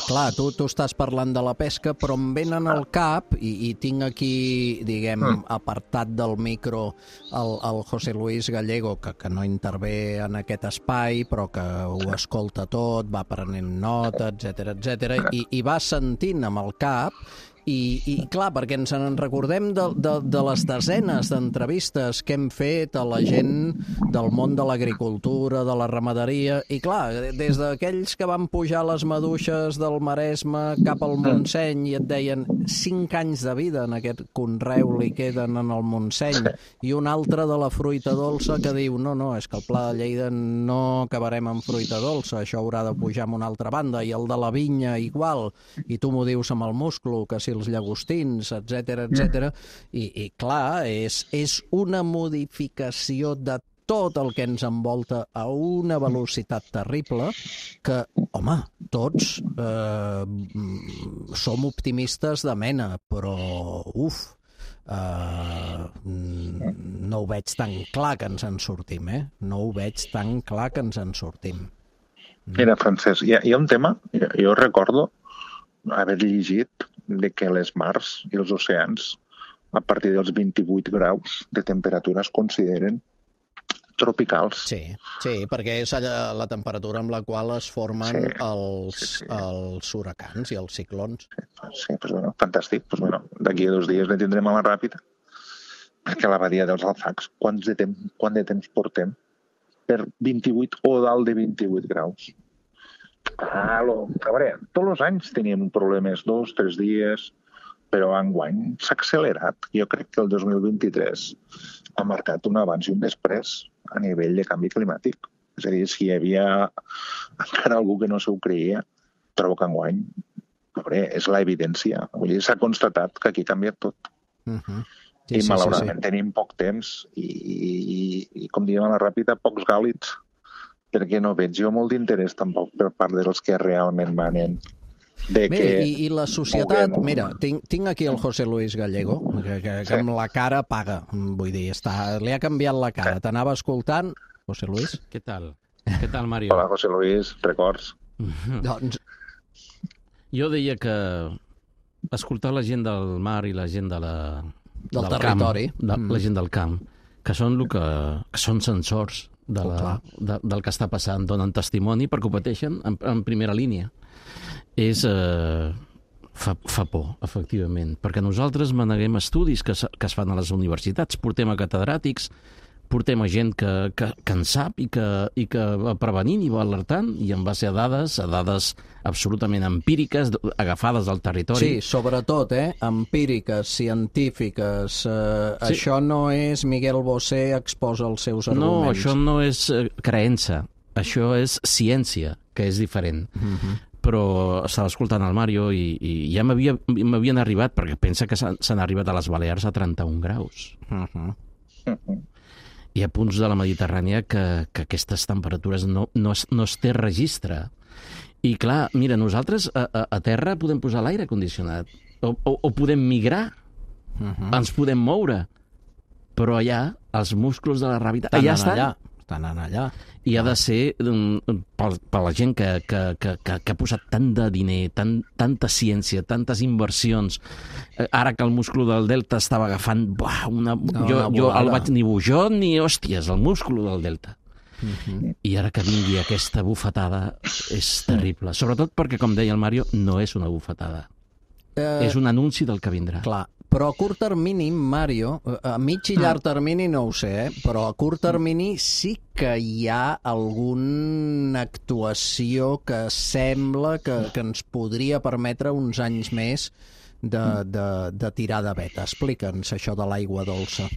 clar, tu, tu estàs parlant de la pesca, però em venen al cap, i, i tinc aquí, diguem, mm. apartat del micro el, el José Luis Gallego, que, que no intervé en aquest espai, però que ho escolta tot, va prenent nota, etcètera, etcètera, i, i va sentint amb el cap. I, i clar, perquè ens en recordem de, de, de les desenes d'entrevistes que hem fet a la gent del món de l'agricultura, de la ramaderia, i clar, des d'aquells que van pujar les maduixes del Maresme cap al Montseny i et deien cinc anys de vida en aquest conreu li queden en el Montseny, i un altre de la fruita dolça que diu no, no, és que el Pla de Lleida no acabarem amb fruita dolça, això haurà de pujar a una altra banda, i el de la vinya igual, i tu m'ho dius amb el musclo, que si els llagostins, etcètera, etcètera, i, i clar, és, és una modificació de tot el que ens envolta a una velocitat terrible que, home, tots eh, som optimistes de mena, però, uf, eh, no ho veig tan clar que ens en sortim, eh? No ho veig tan clar que ens en sortim. Mira, Francesc, hi ha, hi ha un tema, jo, jo recordo haver llegit de que les mars i els oceans a partir dels vint-i-vuit graus de temperatura es consideren tropicals. Sí, sí, perquè és la, la temperatura amb la qual es formen sí, els, sí, sí. els huracans i els ciclons. Sí, doncs bueno, fantàstic. Doncs bueno, d'aquí a dos dies ne tindrem a la ràpida, perquè la badia dels Alfacs, quant de temps, quant de temps portem per vint-i-vuit o dalt de vint-i-vuit graus? Ah, lo, a veure, tots els anys teníem problemes, dos, tres dies, però enguany s'ha accelerat. Jo crec que el dos mil vint-i-tres ha marcat un abans i un després a nivell de canvi climàtic. És a dir, si hi havia encara algú que no s'ho creia, trobo que enguany, a veure, és l'evidència. Vull dir, s'ha constatat que aquí ha canviat tot. Uh-huh. Sí, I sí, malauradament sí, sí. tenim poc temps i, i, i com diem a la ràpida, pocs gàlids, perquè no veig jo molt d'interès tampoc per part dels que realment manen. De Bé, que... i, I la societat... Puguem... Mira, tinc, tinc aquí el José Luis Gallego, que, que, que sí. amb la cara paga, vull dir, està, li ha canviat la cara. Sí. T'anava escoltant, José Luis? Què tal? Què tal, Mario? Hola, José Luis, records? Doncs... Jo deia que escoltar la gent del mar i la gent de la... del, del territori. Camp, de, mm. La gent del camp, que són, lo que, que són sensors de la, oh, de, del que està passant, donen testimoni perquè ho pateixen en, en primera línia. És... Eh, fa, fa por, efectivament, perquè nosaltres maneguem estudis que, que es fan a les universitats, portem a catedràtics, portem a gent que, que, que en sap i que, i que va prevenint i va alertant, i en base a dades, a dades absolutament empíriques, agafades al territori. Sí, sobretot, eh? Empíriques, científiques. Eh, sí. Això no és Miguel Bosé exposa els seus arguments. No, això no és eh, creença, això és ciència, que és diferent. Uh-huh. Però estava escoltant el Mario i, i ja m'havien arribat, perquè pensa que s'han arribat a les Balears a trenta-un graus. Uh-huh. Uh-huh. Hi ha punts de la Mediterrània que, que aquestes temperatures no, no, es, no es té registre. I clar, mira, nosaltres a, a, a terra podem posar l'aire condicionat, o, o, o podem migrar, uh-huh. ens podem moure, però allà els músculs de la gravetat allà estan, allà. estan allà. I ha de ser per, per la gent que, que, que, que, que ha posat tant de diner, tant, tanta ciència, tantes inversions. Ara que el múscul del delta estava agafant... Buah, una, no, jo, una jo el vaig ni bujó ni hòsties, el múscul del delta. Uh-huh. I ara que vingui aquesta bufetada és terrible. Sobretot perquè, com deia el Mario, no és una bufetada. Eh, és un anunci del que vindrà. Clar, però a curt termini, Mario, a mig i llarg termini no ho sé, eh? Però a curt termini sí que hi ha alguna actuació que sembla que, que ens podria permetre uns anys més de, de, de tirar de veta. Explica'ns això de l'aigua dolça.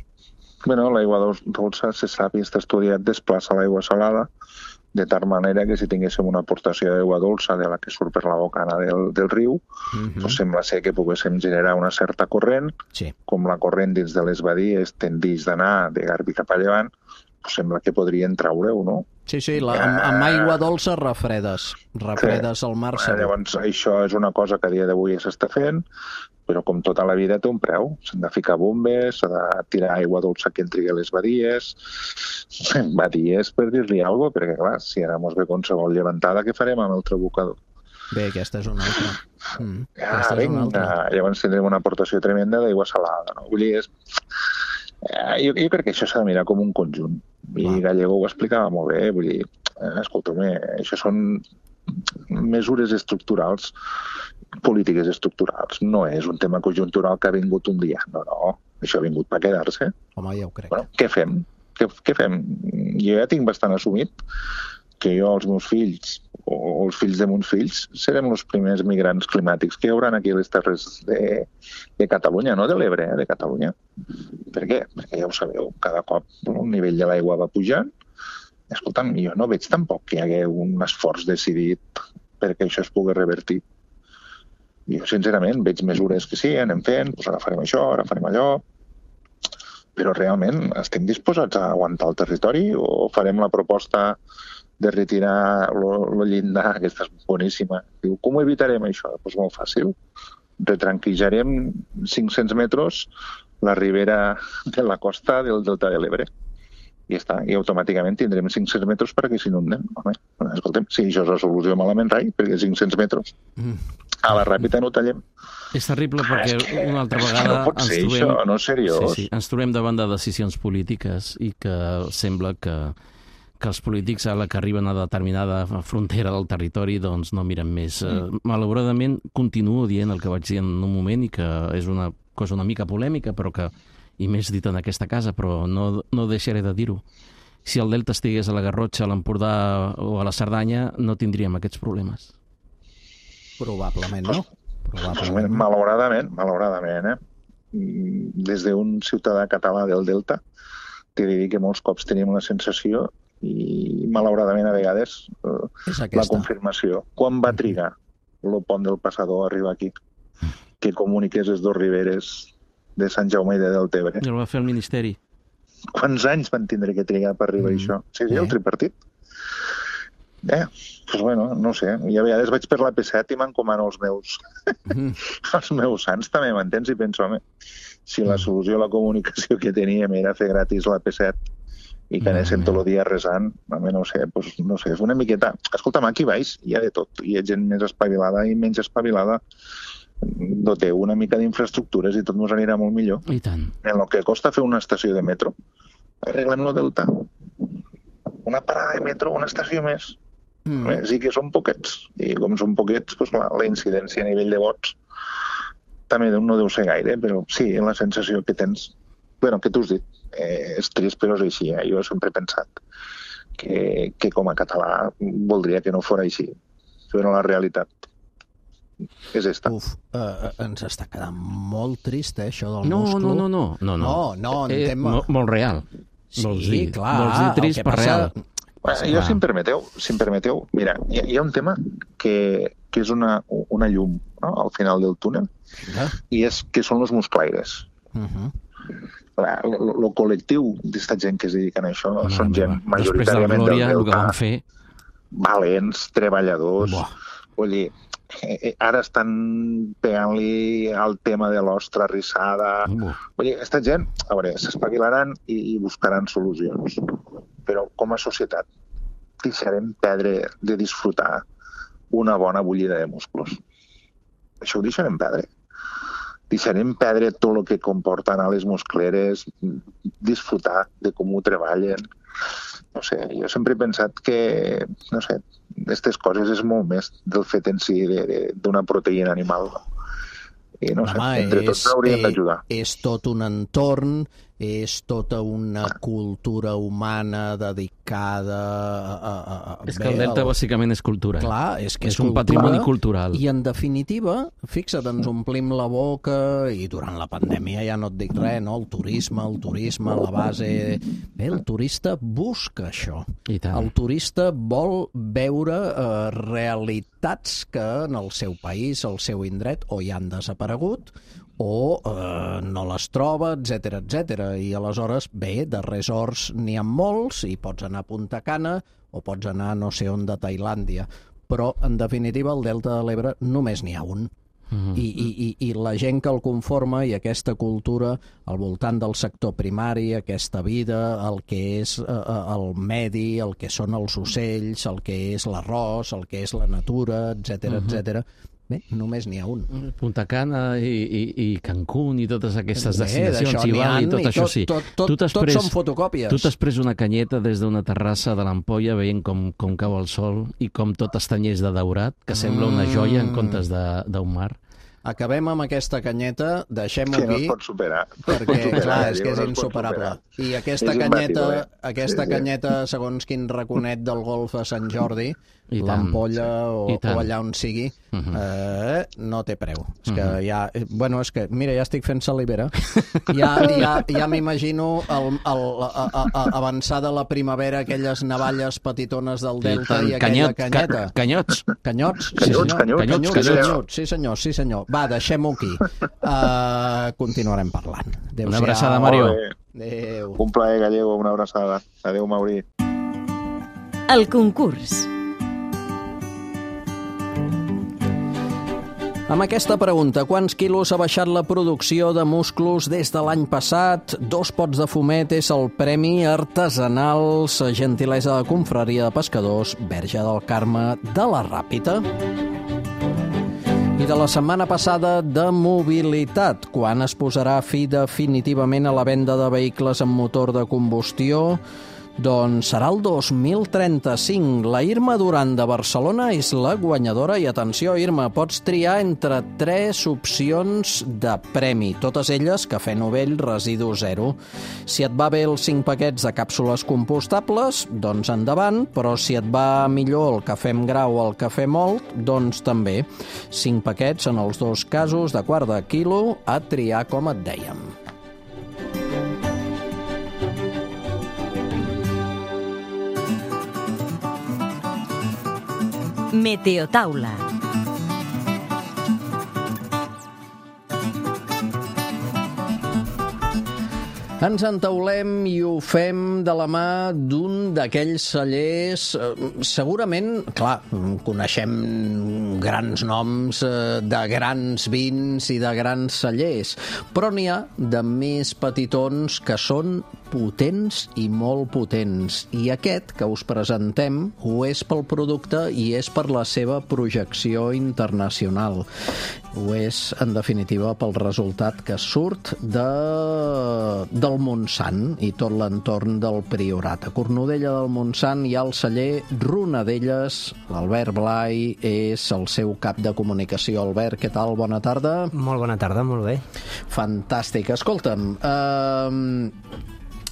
Bueno, l'aigua dolça, se sap i està estudiat, desplaça l'aigua salada, de tal manera que si tinguéssim una aportació d'aigua dolça de la que surt per la bocana del, del riu, uh-huh. doncs sembla ser que poguéssim generar una certa corrent, sí. Com la corrent dins de les badies tendeix d'anar de Garbí cap a llevant, doncs sembla que podrien traure-ho, no? Sí, sí, la, amb, amb aigua dolça refredes, refredes sí. al mar segur. Llavors, això és una cosa que a dia d'avui s'està fent, però com tota la vida té un preu. S'han de ficar bombes, s'ha de tirar aigua dolça que entri a les badies. Badies, per dir-li alguna cosa, perquè, clar, si ara mos ve qualsevol llevantada, què farem amb el trabucador? Bé, aquesta és una altra. Mm, ah, vinga, altra. Llavors tindrem una aportació tremenda d'aigua salada. No? Vull dir, és... jo, jo crec que això s'ha de mirar com un conjunt. I ah. Gallego ho explicava molt bé. Vull dir, escolta'm, això són mesures estructurals, polítiques estructurals. No és un tema conjuntural que ha vingut un dia. No, no. Això ha vingut per quedar-se. Home, ja ho crec. Bueno, què fem? Què, què fem? Jo ja tinc bastant assumit que jo, els meus fills, o els fills de meus fills, serem els primers migrants climàtics que hi haurà aquí a les terres de, de Catalunya, no de l'Ebre, eh, de Catalunya. Per què? Perquè ja ho sabeu, cada cop el nivell de l'aigua va pujant. Escolta'm, jo no veig tampoc que hi hagi un esforç decidit perquè això es pugui revertir. Jo, sincerament, veig mesures que sí, anem fent, doncs ara farem això, ara farem allò, però realment estem disposats a aguantar el territori o farem la proposta de retirar el llindar, aquesta és boníssima. Diu, com ho evitarem això? Doncs molt fàcil. Retranquillarem cinc-cents metres la ribera de la costa del Delta de l'Ebre. I ja està. I automàticament tindrem cinc-cents metres perquè s'inunden. Home, escoltem, si això és la solució malament rai, perquè cinc-cents metres a la ràpida no tallem. És terrible perquè ah, és una altra vegada no pot ser ens trobem... això, no és seriós. Sí, sí, ens trobem davant de decisions polítiques i que sembla que que els polítics, a la que arriben a determinada frontera del territori, doncs no miren més. Mm. Malauradament, continuo dient el que vaig dir en un moment i que és una cosa una mica polèmica, però que, i més dit en aquesta casa, però no, no deixaré de dir-ho. Si el Delta estigués a la Garrotxa, a l'Empordà o a la Cerdanya, no tindríem aquests problemes. Probablement, no? Probablement. Malauradament, malauradament, eh? Des d'un ciutadà català del Delta, t'he de dir que molts cops tenim la sensació i malauradament a vegades eh, la confirmació. Quan va trigar el pont del Passador a arribar aquí? Que comuniqués les dues riberes de Sant Jaume i de Deltebre. I el va fer el Ministeri. Quants anys van tindre que trigar per arribar mm. a això? Sí, sí, el tripartit. Eh, doncs bueno, no sé. I a vegades vaig per la P set i m'encomano els meus mm. els meus sants també, m'entens? I penso, home, si la solució a la comunicació que teníem era fer gratis la P set i que anéssim tot el dia resant, home, no sé, doncs, no sé, és una miqueta... Escolta'm, aquí baix hi ha de tot. Hi ha gent més espavilada i menys espavilada. Doteu una mica d'infraestructures i tot ens anirà molt millor. I tant. En el que costa fer una estació de metro, arreglem el Delta. Una parada de metro, una estació més. Mm. Sí que són poquets. I com són poquets, doncs, la, la incidència a nivell de vots també no deu ser gaire, però sí, la sensació que tens... Bueno, que tu has dit, eh, és trist, però és així. Eh? Jo sempre he pensat que, que com a català voldria que no fos així. Però la realitat és esta. Uf, uh, ens està quedant molt trist, eh, això del no, musclo. No, no, no. No, no, no, no en eh, tema... Molt, molt real. Sí, vols dir, clar. Vols dir trist per real. Bueno, jo, si em permeteu, si em permeteu, mira, hi ha, hi ha un tema que, que és una, una llum, no?, al final del túnel, uh-huh. i és que són els musclaires. Uh-huh. El col·lectiu d'esta gent que es dediquen a això no, són no, gent no. majoritàriament Glòria, del Delta, que fer... valents, treballadors. Buah. Vull dir, ara estan pegant-li al tema de l'ostra rissada. Buah. Vull dir, aquesta gent, a veure, s'espavilaran i, i buscaran solucions. però com a societat deixarem perdre de disfrutar una bona bullida de músculs. Això ho deixarem perdre. Deixarem perdre tot el que comporta anar a les muscleres, disfrutar de com ho treballen. No sé, jo sempre he pensat que, no sé, aquestes coses és molt més del fet en si d'una proteïna animal. I no sé, Home, entre tots hauríem d'ajudar. És tot un entorn, és tota una cultura humana dedicada a... a, a és que el delta el... bàsicament és cultura. Clar, és que és, és un cultura, patrimoni cultural. I en definitiva, fixa't, ens omplim la boca i durant la pandèmia ja no et dic res, no? El turisme, el turisme, la base... Bé, el turista busca això. I tant. El turista vol veure eh, realitats que en el seu país, el seu indret, o ja han desaparegut, o eh, no les troba, etcètera, etcètera. I aleshores, bé, de resorts n'hi ha molts, i pots anar a Punta Cana o pots anar no sé on de Tailàndia. Però, en definitiva, el Delta de l'Ebre només n'hi ha un. Mm-hmm. I, i, i, I la gent que el conforma i aquesta cultura al voltant del sector primari, aquesta vida, el que és eh, el medi, el que són els ocells, el que és l'arròs, el que és la natura, etcètera, mm-hmm. etcètera. Bé, només n'hi ha un. Punta Cana i, i, i Cancún i totes aquestes Bé, destinacions, i Bali, tot, tot això sí. Tot, tot, tot, tot són fotocòpies. Tu t'has pres una canyeta des d'una terrassa de l'Ampolla veient com, com cau el sol i com tot estanyeix de daurat, que sembla una joia en comptes d'un mar. Acabem amb aquesta canyeta, deixem-ho aquí. Que no aquí. es pot superar. Perquè, superar, clar, és que és no insuperable. I aquesta és canyeta, imbatible. aquesta sí, sí. canyeta, segons quin raconet del golf a Sant Jordi, I l'Ampolla sí. o, o allà on sigui, uh -huh. eh, no té preu. És que uh -huh. ja... Bueno, és que, mira, ja estic fent salivera. Ja, ja, ja m'imagino el, el, a, a, a, avançar de la primavera, aquelles navalles petitones del Delta i, i aquella Canyot, canyeta. Ca, canyots. Canyots, sí Canyots, senyor. canyots, Canyots, canyots, sí, canyots. senyor. Sí senyor, sí senyor. Va, deixem-ho aquí. Uh, continuarem parlant. Una abraçada, Mario. Adéu. Un plaer, Gallego, una abraçada. Adéu, Mauri. El concurs. Amb aquesta pregunta, quants quilos ha baixat la producció de musclos des de l'any passat? Dos pots de fumet és el premi artesanals, gentilesa de confraria de pescadors, Verge del Carme de la Ràpita. I de la setmana passada de mobilitat, quan es posarà fi definitivament a la venda de vehicles amb motor de combustió? Doncs serà el dos mil trenta-cinc. La Irma Duran de Barcelona és la guanyadora i atenció, Irma, pots triar entre tres opcions de premi, totes elles cafè novell residu zero. Si et va bé els cinc paquets de càpsules compostables, doncs endavant, però si et va millor el cafè amb grau o el cafè mòlt, doncs també. Cinc paquets en els dos casos de quart de quilo a triar, com et dèiem. Meteotaula. Ens entaulem i ho fem de la mà d'un d'aquells cellers, eh, segurament, clar, coneixem grans noms eh, de grans vins i de grans cellers, però n'hi ha de més petitons que són potents i molt potents. I aquest que us presentem ho és pel producte i és per la seva projecció internacional. Ho és, en definitiva, pel resultat que surt de, del Montsant i tot l'entorn del Priorat. A Cornudella del Montsant hi ha el celler Ronadelles. L'Albert Blai és el seu cap de comunicació. Albert, què tal? Bona tarda. Molt bona tarda, molt bé. Fantàstic. Escolta'm, eh...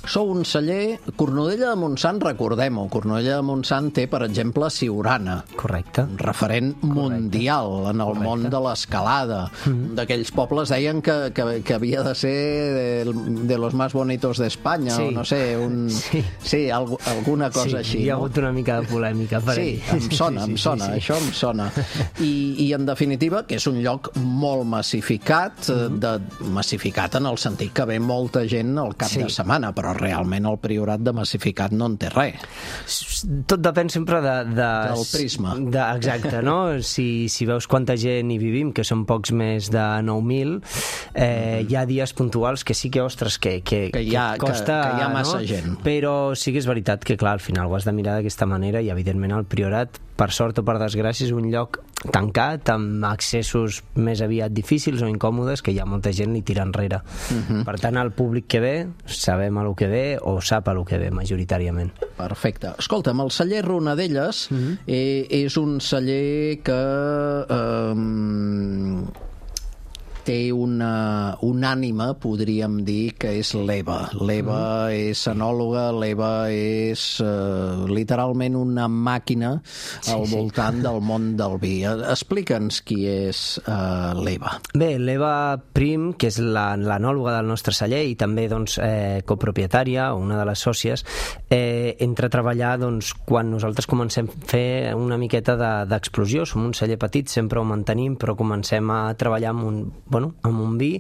sou un celler... Cornudella de Montsant, recordem-ho, Cornudella de Montsant té, per exemple, Siurana. Correcte. Un referent Correcte. mundial en el Correcte. món de l'escalada. Mm-hmm. D'aquells pobles deien que, que, que havia de ser de, de los más bonitos d'Espanya, sí. o no sé, un... Sí, sí alg alguna cosa sí, així. Hi ha no? hagut una mica de polèmica per Sí, ahí. em sona, sí, em sí, sona, sí, sí. això em sona. I, I, en definitiva, que és un lloc molt massificat, mm-hmm. de, massificat en el sentit que ve molta gent al cap Sí. de setmana, però realment el Priorat de massificat no en té res. Tot depèn sempre de... de del prisma. De, exacte, no? Si, si veus quanta gent hi vivim, que són pocs més de nou mil, eh, hi ha dies puntuals que sí que, ostres, que, que, que, hi ha, que costa... Que, que hi ha massa no? gent. Però sí que és veritat que, clar, al final ho has de mirar d'aquesta manera i, evidentment, el Priorat, per sort o per desgràcia, és un lloc tancat, amb accessos més aviat difícils o incòmodes, que hi ha molta gent li tira enrere. Uh-huh. Per tant, el públic que ve, sabem a lo que ve o sap a lo que ve, majoritàriament. Perfecte. Escolta'm, el celler Ronadelles uh-huh. eh, és un celler que eh, té una, una ànima, podríem dir, que és l'Eva. L'Eva uh-huh. és enòloga, l'Eva és eh, literalment una màquina sí, al voltant sí. del món del vi. Explica'ns qui és eh, l'Eva. Bé, l'Eva Prim, que és la, l'enòloga del nostre celler i també doncs, eh, copropietària, una de les sòcies, eh, entra a treballar doncs, quan nosaltres comencem a fer una miqueta de, d'explosió. Som un celler petit, sempre ho mantenim, però comencem a treballar amb un, bueno, amb un vi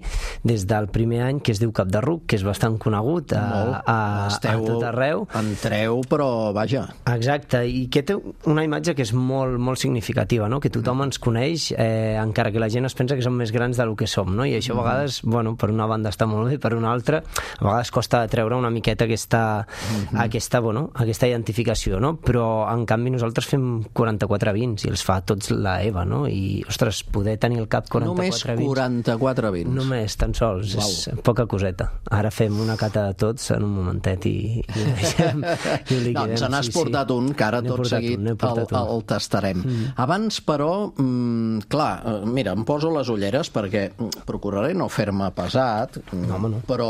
des del primer any, que es diu Cap de Ruc, que és bastant conegut a, a, a tot arreu. Entreu, però vaja. Exacte, i que té una imatge que és molt, molt significativa, no? Que tothom ens coneix, eh, encara que la gent es pensa que som més grans del que som, no? I això a vegades, bueno, per una banda està molt bé, per una altra, a vegades costa treure una miqueta aquesta, mm-hmm. aquesta, bueno, aquesta identificació, no? Però, en canvi, nosaltres fem quaranta-quatre vins i els fa tots la Eva, no? I, ostres, poder tenir al cap quaranta-quatre vins... Només quaranta-quatre vins. Només, tan sols. Wow. És poca coseta. Ara fem una cata de tots en un momentet i, i ho deixem. I ho liquidem. Doncs n'has sí, portat sí. un, que ara tot seguit un, el, el tastarem. Mm. Abans, però, mm, clar, mira, em poso les ulleres perquè procuraré no fer-me pesat, no, no. però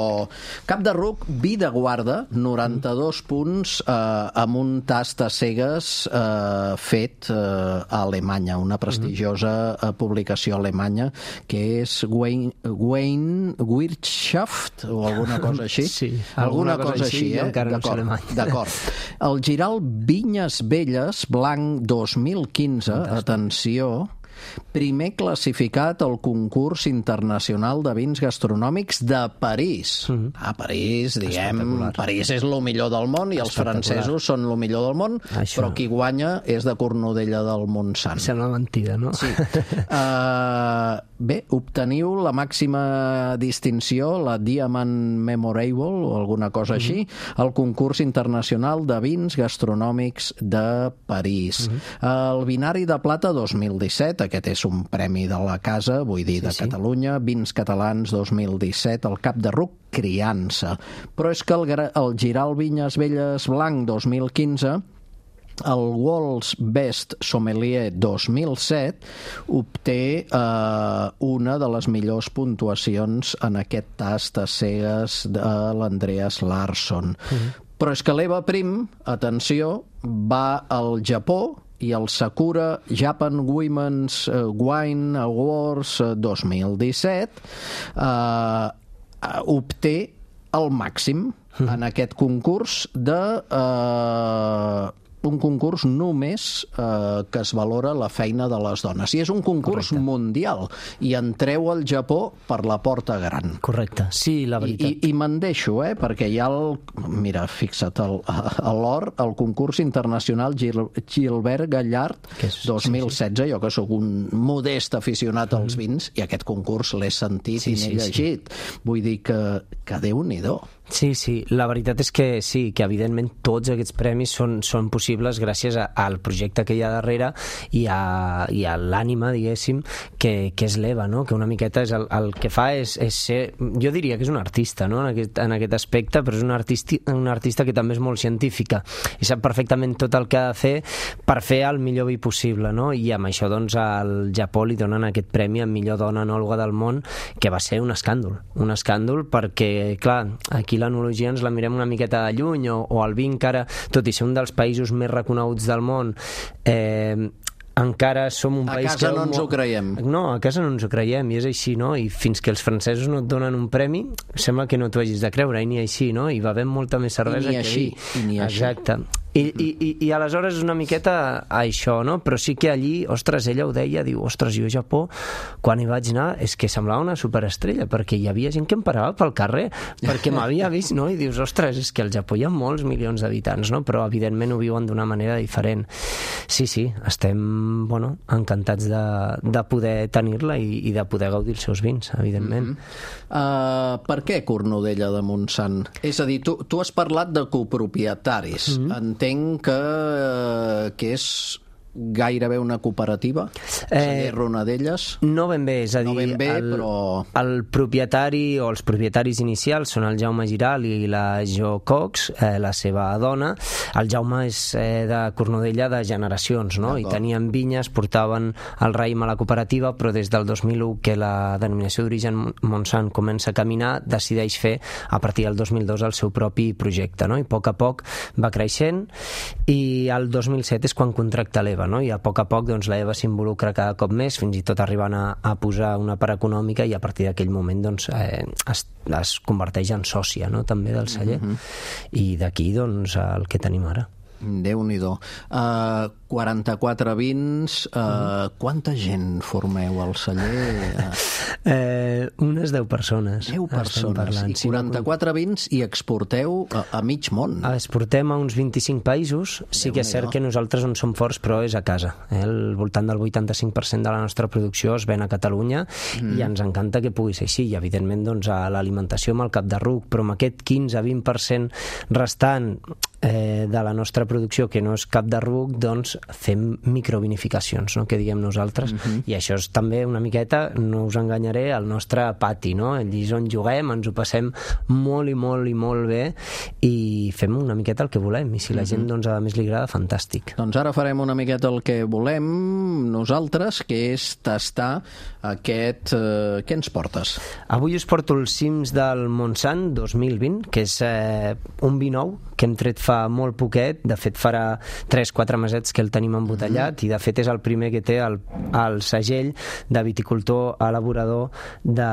Cap de Ruc, vi de guarda, noranta-dos mm. punts, eh, amb un tast a cegues eh, fet eh, a Alemanya, una prestigiosa mm. publicació alemanya, que és Wayne, Wayne Wirtschaft o alguna cosa així. Sí, alguna, alguna cosa, cosa així, eh? Encara no sé alemany. D'acord. El Giral Vinyes Velles, blanc dos mil quinze, fantàstic. Atenció, primer classificat al concurs internacional de vins gastronòmics de París. Mm-hmm. A París, diguem, París és el millor del món i els francesos són el millor del món, això. Però qui guanya és de Cornudella del Montsant. Sembla mentida, no? Sí. Uh, bé, obteniu la màxima distinció, la Diamond Memorable o alguna cosa així, mm-hmm. al concurs internacional de vins gastronòmics de París. Mm-hmm. El Binari de Plata dos mil disset, aquest és un premi de la casa, vull dir, de sí, sí. Catalunya, Vins Catalans dos mil disset, el Cap de Ruc, criança. Però és que el, el Giral Vinyes Velles blanc dos mil quinze, el World's Best Sommelier dos mil set, obté eh, una de les millors puntuacions en aquest tast a cegues de l'Andreas Larsson. Mm-hmm. Però és que l'Eva Prim, atenció, va al Japó i el Sakura Japan Women's Wine Awards dos mil disset eh, obté el màxim mm. en aquest concurs de eh, un concurs només eh, que es valora la feina de les dones. I és un concurs Correcte. Mundial. I entreu al Japó per la porta gran. Correcte, sí, la veritat. I, i, i me'n deixo, eh, perquè hi ha el... Mira, fixa't, el, a l'or, el concurs internacional Gil, Gilbert Gallard és, dos mil setze, sí, sí. Jo que sóc un modest aficionat als vins, i aquest concurs l'he sentit sí, i n'he sí, llegit. Sí. Vull dir que, que Déu-n'hi-do. Sí, sí, la veritat és que sí, que evidentment tots aquests premis són, són possibles gràcies a, al projecte que hi ha darrere i a, i a l'ànima, diguéssim, que, que és l'Eva, no? Que una miqueta és el, el que fa és, és ser, jo diria que és un artista, no? En aquest, en aquest aspecte, però és un artista, un artista que també és molt científica i sap perfectament tot el que ha de fer per fer el millor vi possible, no? I amb això, doncs, al Japó li donen aquest premi a millor dona enòloga del món, que va ser un escàndol, un escàndol perquè, clar, aquí l'enologia ens la mirem una miqueta de lluny o, o el vi encara, tot i ser un dels països més reconeguts del món, eh, encara som un a país casa que... no ens ho creiem. No, a casa no ens ho creiem, i és així, no? I fins que els francesos no et donen un premi, sembla que no t'ho hagis de creure, i ni així, no? I bevem molta més cervesa I ni que així, vi. I ni Exacte. així. I, i, i, i aleshores és una miqueta això, no? Però sí que allí, ostres, ella ho deia, diu, ostres, jo a Japó, quan hi vaig anar, és que semblava una superestrella, perquè hi havia gent que em parava pel carrer, perquè m'havia vist, no? I dius, ostres, és que al Japó hi ha molts milions d'habitants, no? Però evidentment ho viuen d'una manera diferent. Sí, sí, estem, bueno, encantats de, de poder tenir-la i, i de poder gaudir els seus vins, evidentment. Mm-hmm. uh, per què Cornudella de Montsant? És a dir, tu, tu has parlat de copropietaris. Mm-hmm. Entenc que, que és gairebé una cooperativa, Celler Ronadelles. No ben bé, és a dir, no ben bé, el, però... el propietari o els propietaris inicials són el Jaume Giral i la Jo Cox, eh, la seva dona. El Jaume és eh, de Cornudella de generacions, no? I tenien vinyes, portaven el raïm a la cooperativa, però des del dos mil u que la denominació d'origen Montsant comença a caminar, decideix fer a partir del dos mil dos el seu propi projecte, no? I a poc a poc va creixent i el dos mil set és quan contracta l'Eva, no? I a poc a poc doncs, la Eva s'involucra cada cop més, fins i tot arribant a, a posar una part econòmica i a partir d'aquell moment doncs, eh, es, es converteix en sòcia, no? També del celler. Mm-hmm. I d'aquí doncs, el que tenim ara. Déu-n'hi-do. Uh, quaranta-quatre vins, uh, mm. quanta gent formeu al celler? Eh, unes deu persones. deu persones, i quaranta-quatre vins i exporteu a, a mig món. Exportem a uns vint-i-cinc països, sí que és cert que nosaltres on som forts, però és a casa. Eh? El voltant del vuitanta-cinc per cent de la nostra producció es ven a Catalunya mm. i ens encanta que pugui ser així, i evidentment doncs, a l'alimentació amb el cap de ruc, però amb aquest quinze a vint per cent restant eh, de la nostra producció que no és cap de ruc, doncs fem microvinificacions, no? Que diguem nosaltres, uh-huh. i això és també una miqueta, no us enganyaré, el nostre pati, no? Allí és on juguem, ens ho passem molt i molt i molt bé i fem una miqueta el que volem, i si la uh-huh. gent doncs, a més li agrada, fantàstic. Doncs ara farem una miqueta el que volem nosaltres, que és tastar aquest... Eh, què ens portes? Avui us porto els cims del Montsant dos mil vint, que és eh, un vi nou que hem tret fa molt poquet, de fet farà tres quatre mesets que el tenim embotellat, mm. i de fet és el primer que té el, el segell de viticultor elaborador de,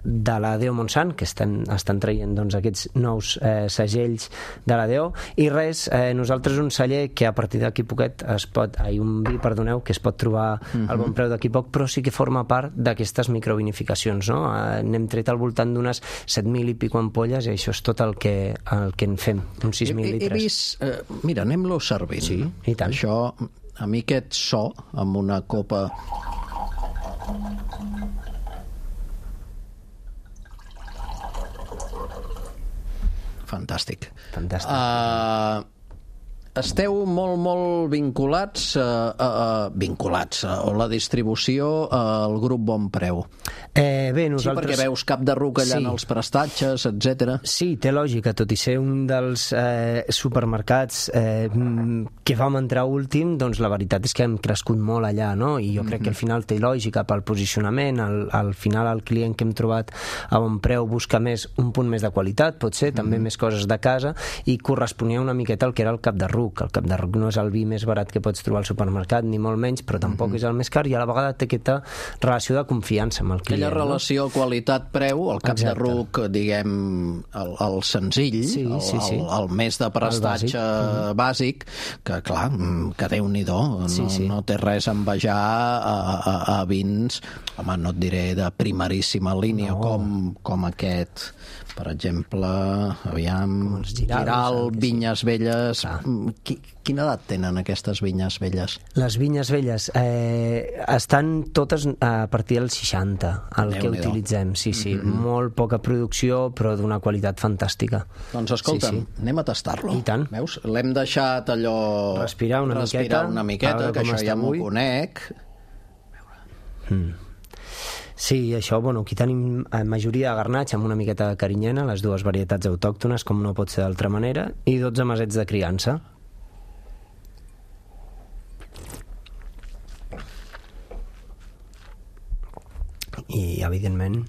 de la D O Montsant, que estan, estan traient doncs, aquests nous eh, segells de la D O, i res, eh, nosaltres un celler que a partir d'aquí poquet es pot, ai, un vi, perdoneu, que es pot trobar mm-hmm. al bon preu d'aquí poc, però sí que forma part d'aquestes microvinificacions, no? Eh, n'hem tret al voltant d'unes set mil i pico ampolles, i això és tot el que, el que en fem, uns sis mil litres. He vist... Eh, mira, anem-lo servint. Sí, i tant. Això, a mi aquest so, amb una copa... Fantàstic. Fantàstic. Uh, esteu molt, molt vinculats, uh, uh, vinculats, uh, o la distribució al grup Bon Preu. Eh, bé, nosaltres... Sí, perquè veus cap de ruc allà sí. en els prestatges, etcètera. Sí, té lògica, tot i ser un dels eh, supermercats eh, que vam entrar últim, doncs la veritat és que hem crescut molt allà, no? I jo mm-hmm. crec que al final té lògica pel posicionament, al, al final el client que hem trobat a Bon Preu busca més, un punt més de qualitat, pot ser, mm-hmm. també més coses de casa, i corresponia una miqueta al que era el cap de ruc. El cap de ruc no és el vi més barat que pots trobar al supermercat, ni molt menys, però tampoc mm-hmm. és el més car, i a la vegada té aquesta relació de confiança amb el client. Aquella relació no? qualitat-preu, el cap Exacte. de ruc, diguem, el, el senzill, sí, sí, sí. El, el, el més de prestatge bàsic. bàsic, que clar, que Déu-n'hi-do, no, sí, sí. no té res a envejar a, a, a vins, home, no et diré de primeríssima línia, no. com, com aquest, per exemple, aviam, Giral, Giral Vinyes Velles. Ah. Qui, quina edat tenen aquestes Vinyes Velles? Les Vinyes Velles eh, estan totes a partir del seixanta, el Déu que utilitzem, sí, sí, mm-hmm. molt poca producció, però d'una qualitat fantàstica. Doncs escolta'm, sí, sí. anem a tastar-lo. I tant. Veus? L'hem deixat allò... Respirar una respirar miqueta. una miqueta, que això ja m'ho conec. Mm. Sí, això, bueno, aquí tenim eh, majoria de garnatx amb una miqueta de carinyena, les dues varietats autòctones, com no pot ser d'altra manera, i dotze mesets de criança. I, evidentment,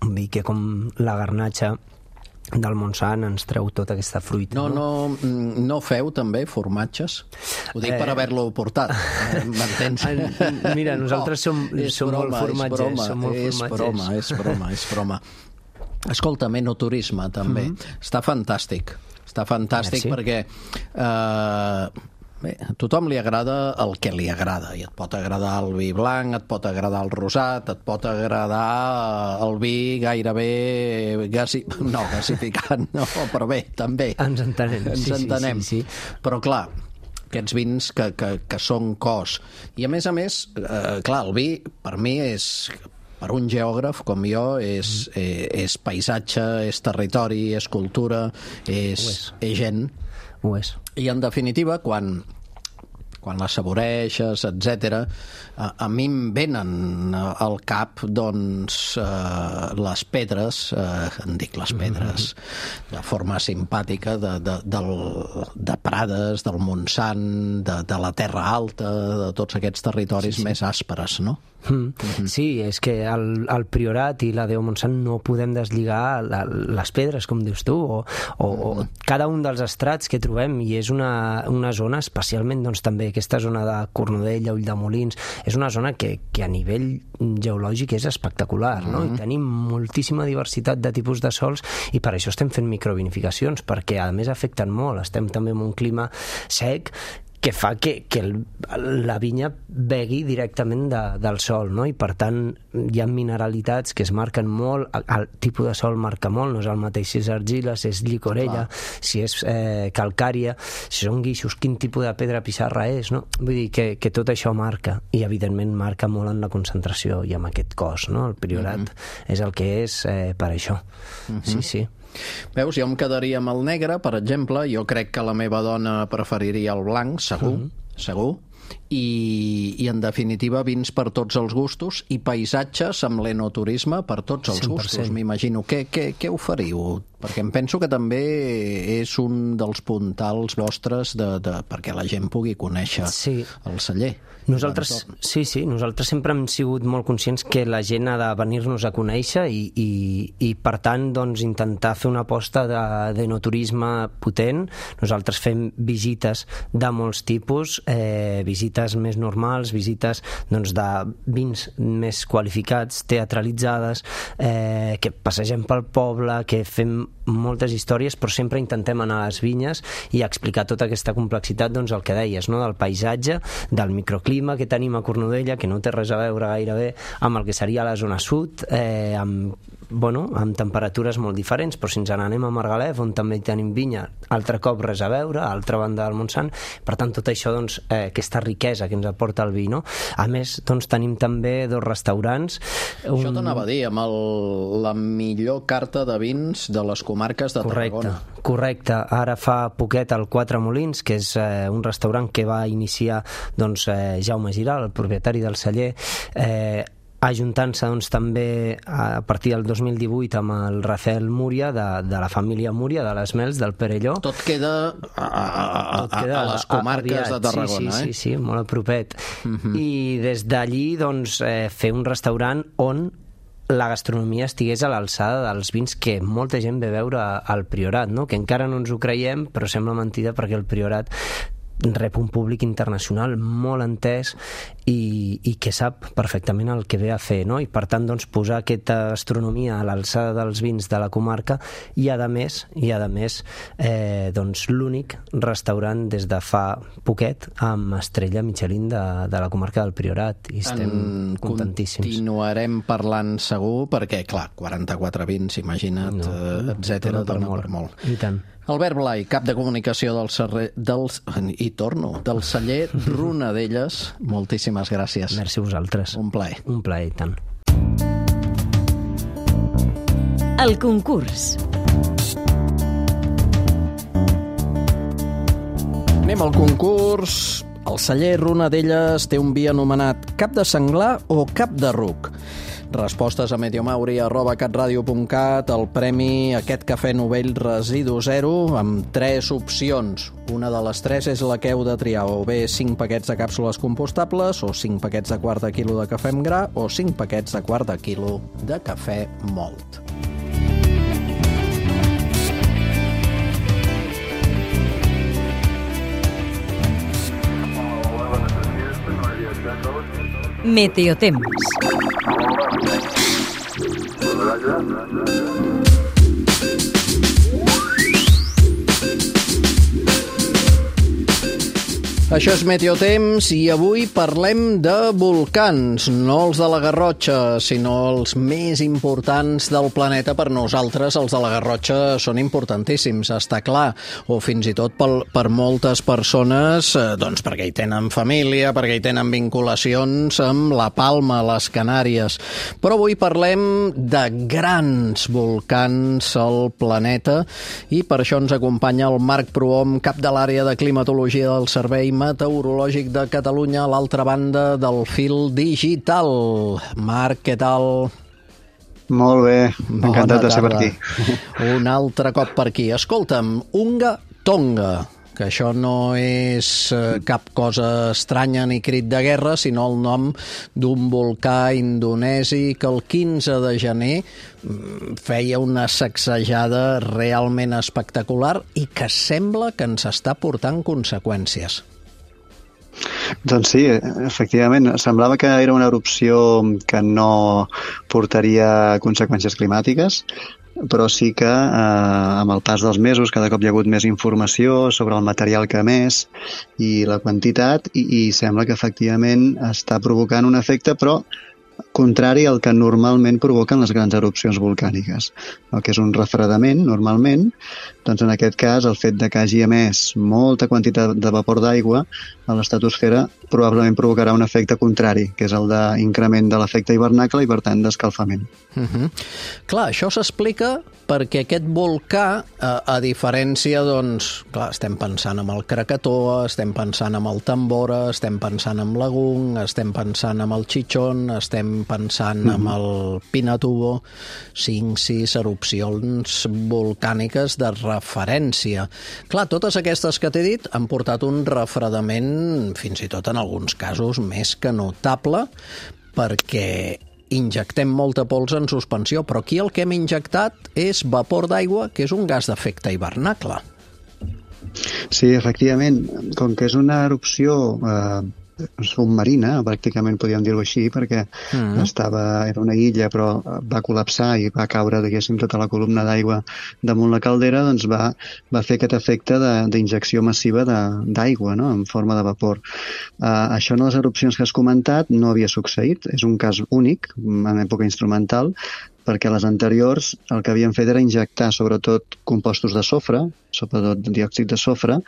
un vi que com la garnatxa del Montsant ens treu tota aquesta fruita. No, no, no, no feu també formatges? Ho dic eh... per haver-lo portat, m'entens? Mira, nosaltres som, no, som broma, molt formatgers. És broma, som molt és formatgers. broma, és broma, és broma. Escolta'm, enoturisme també. Mm-hmm. Està fantàstic. està fantàstic. Merci. Perquè eh, bé, a tothom li agrada el que li agrada, i et pot agradar el vi blanc, et pot agradar el rosat, et pot agradar el vi gairebé gasi... no, gasificat, no, però bé, també. Ens entenem. Ens sí, entenem. Sí, sí, sí. Però clar, aquests vins que, que, que són cos. I a més a més, eh, clar, el vi per mi és... per un geògraf com jo, és, eh, és paisatge, és territori, és cultura, és, és. és gent. Ho és. I en definitiva, quan, quan la saboreixes, etcètera, a, a mi em venen al cap, doncs, eh, les pedres, eh, en dic les pedres, mm-hmm. de forma simpàtica, de, de, del, de Prades, del Montsant, de, de la Terra Alta, de tots aquests territoris sí, sí. més àsperes, no? Mm. Mm-hmm. Sí, és que el, el Priorat i la Déu Montsant no podem deslligar la, les pedres, com dius tu, o, o, mm. o cada un dels estrats que trobem, i és una, una zona, especialment doncs, també aquesta zona de Cornudella, Ulldemolins, és una zona que, que a nivell geològic és espectacular, mm. no? I tenim moltíssima diversitat de tipus de sols, i per això estem fent microvinificacions, perquè a més afecten molt, estem també en un clima sec, que fa que, que el, la vinya begui directament de, del sol, no? I per tant hi ha mineralitats que es marquen molt, el, el tipus de sol marca molt, no és el mateix si és argila, si és llicorella, Clar. si és eh, calcària, si són guixos, quin tipus de pedra pissarra és, no? Vull dir que, que tot això marca, i evidentment marca molt en la concentració i amb aquest cos, no? El Priorat mm-hmm. és el que és eh, per això. Mm-hmm. Sí, sí. Veus, jo em quedaria amb el negre, per exemple. Jo crec que la meva dona preferiria el blanc, segur, mm-hmm. segur. I, i en definitiva vins per tots els gustos i paisatges amb l'enoturisme per tots els cent per cent. Gustos, m'imagino. Què, què, què oferiu? Perquè em penso que també és un dels puntals vostres de, de, perquè la gent pugui conèixer sí. el celler. Nosaltres, sí, sí, nosaltres sempre hem sigut molt conscients que la gent ha de venir-nos a conèixer i, i, i per tant, doncs, intentar fer una aposta d'enoturisme potent. Nosaltres fem visites de molts tipus, eh, visites més normals, visites doncs, de vins més qualificats, teatralitzades, eh, que passegem pel poble, que fem moltes històries, però sempre intentem anar a les vinyes i explicar tota aquesta complexitat, doncs el que deies, no? Del paisatge, del microclima que tenim a Cornudella, que no té res a veure gairebé amb el que seria la zona sud, eh, amb, bueno, amb temperatures molt diferents, però si ens n'anem a Margalef, on també tenim vinya, altre cop res a veure, a altra banda del Montsant, per tant tot això, doncs, eh, aquesta riquesa que ens aporta el vi, no? A més, doncs tenim també dos restaurants. Un... Això t'anava a dir, amb el, la millor carta de vins de les comarques de correcte, Tarragona. Correcte, ara fa poquet el Quatre Molins, que és eh, un restaurant que va iniciar doncs, eh, Jaume Giral, el propietari del celler, eh, ajuntant-se doncs, també a partir del dos mil divuit amb el Rafael Múria de, de la família Múria, de les Mels, del Perelló. Tot queda a, a, a, Tot queda a, a les comarques a, a de Tarragona, sí, sí, eh? Sí, sí, molt a propet. Uh-huh. I des d'allí doncs, eh, fer un restaurant on la gastronomia estigués a l'alçada dels vins que molta gent ve a veure al Priorat, no? Que encara no ens ho creiem, però sembla mentida perquè el Priorat rep un públic internacional molt entès i, i que sap perfectament el que ve a fer, no? I per tant doncs, posar aquesta gastronomia a l'alçada dels vins de la comarca i a més, i a més eh, doncs, l'únic restaurant des de fa poquet amb estrella Michelin de, de la comarca del Priorat, i estem en contentíssims. Continuarem parlant segur perquè, clar, quaranta-quatre vins, imagina't, no, eh, etcètera, dona per molt. Per molt. I tant. Albert Blai, cap de comunicació del, serre, del, i torno, del celler Ronadelles, moltíssimes gràcies. Merci a vosaltres. Un plaer. Un plaer, i tant. El concurs. Anem al concurs. El celler Ronadelles té un vi anomenat cap de senglar o cap de ruc. Respostes a mediomauri arroba catradio punt cat. El premi, aquest cafè novell residu zero, amb tres opcions. Una de les tres és la que heu de triar, o bé cinc paquets de càpsules compostables, o cinc paquets de quart de quilo de cafè amb gra, o cinc paquets de quart de quilo de cafè mòlt. Meteotemps. Això és Meteotemps i avui parlem de volcans, no els de la Garrotxa, sinó els més importants del planeta per nosaltres. Els de la Garrotxa són importantíssims, està clar, o fins i tot per, per moltes persones, doncs perquè hi tenen família, perquè hi tenen vinculacions amb la Palma, les Canàries. Però avui parlem de grans volcans al planeta i per això ens acompanya el Marc Prohom, cap de l'àrea de climatologia del Servei Meteorològic de Catalunya, a l'altra banda del fil digital. Marc, què tal? Molt bé, encantat de ser per aquí. Un altre cop per aquí. Escolta'm, Unga Tonga, que això no és cap cosa estranya ni crit de guerra, sinó el nom d'un volcà indonesi que el quinze de gener feia una sacsejada realment espectacular i que sembla que ens està portant conseqüències. Doncs sí, efectivament, semblava que era una erupció que no portaria conseqüències climàtiques, però sí que eh, amb el pas dels mesos cada cop hi ha hagut més informació sobre el material que ha emès i la quantitat i, i sembla que efectivament està provocant un efecte, però contrari al que normalment provoquen les grans erupcions volcàniques, el que és un refredament normalment. Doncs en aquest cas el fet de que hagi emès molta quantitat de vapor d'aigua a l'estratosfera probablement provocarà un efecte contrari, que és el d'increment de l'efecte hivernacle i per tant d'escalfament. Uh-huh. Clar, això s'explica perquè aquest volcà, a, a diferència, doncs, clar, estem pensant en el Krakatoa, estem pensant en el Tambora, estem pensant en l'Agung, estem pensant en el Chichón, estem pensant en mm-hmm. el Pinatubo, cinc, sis erupcions volcàniques de referència. Clar, totes aquestes que t'he dit han portat un refredament, fins i tot en alguns casos, més que notable, perquè injectem molta pols en suspensió, però aquí el que hem injectat és vapor d'aigua, que és un gas d'efecte hivernacle. Sí, efectivament, com que és una erupció eh, submarina, pràcticament podríem dir-ho així, perquè mm. estava, era una illa, però va col·lapsar i va caure, diguéssim, tota la columna d'aigua damunt la caldera, doncs va, va fer aquest efecte d'injecció massiva d'aigua, no?, en forma de vapor. Uh, això en les erupcions que has comentat no havia succeït, és un cas únic, en època instrumental, perquè les anteriors el que havien fet era injectar sobretot compostos de sofre, sobretot diòxid de sofre,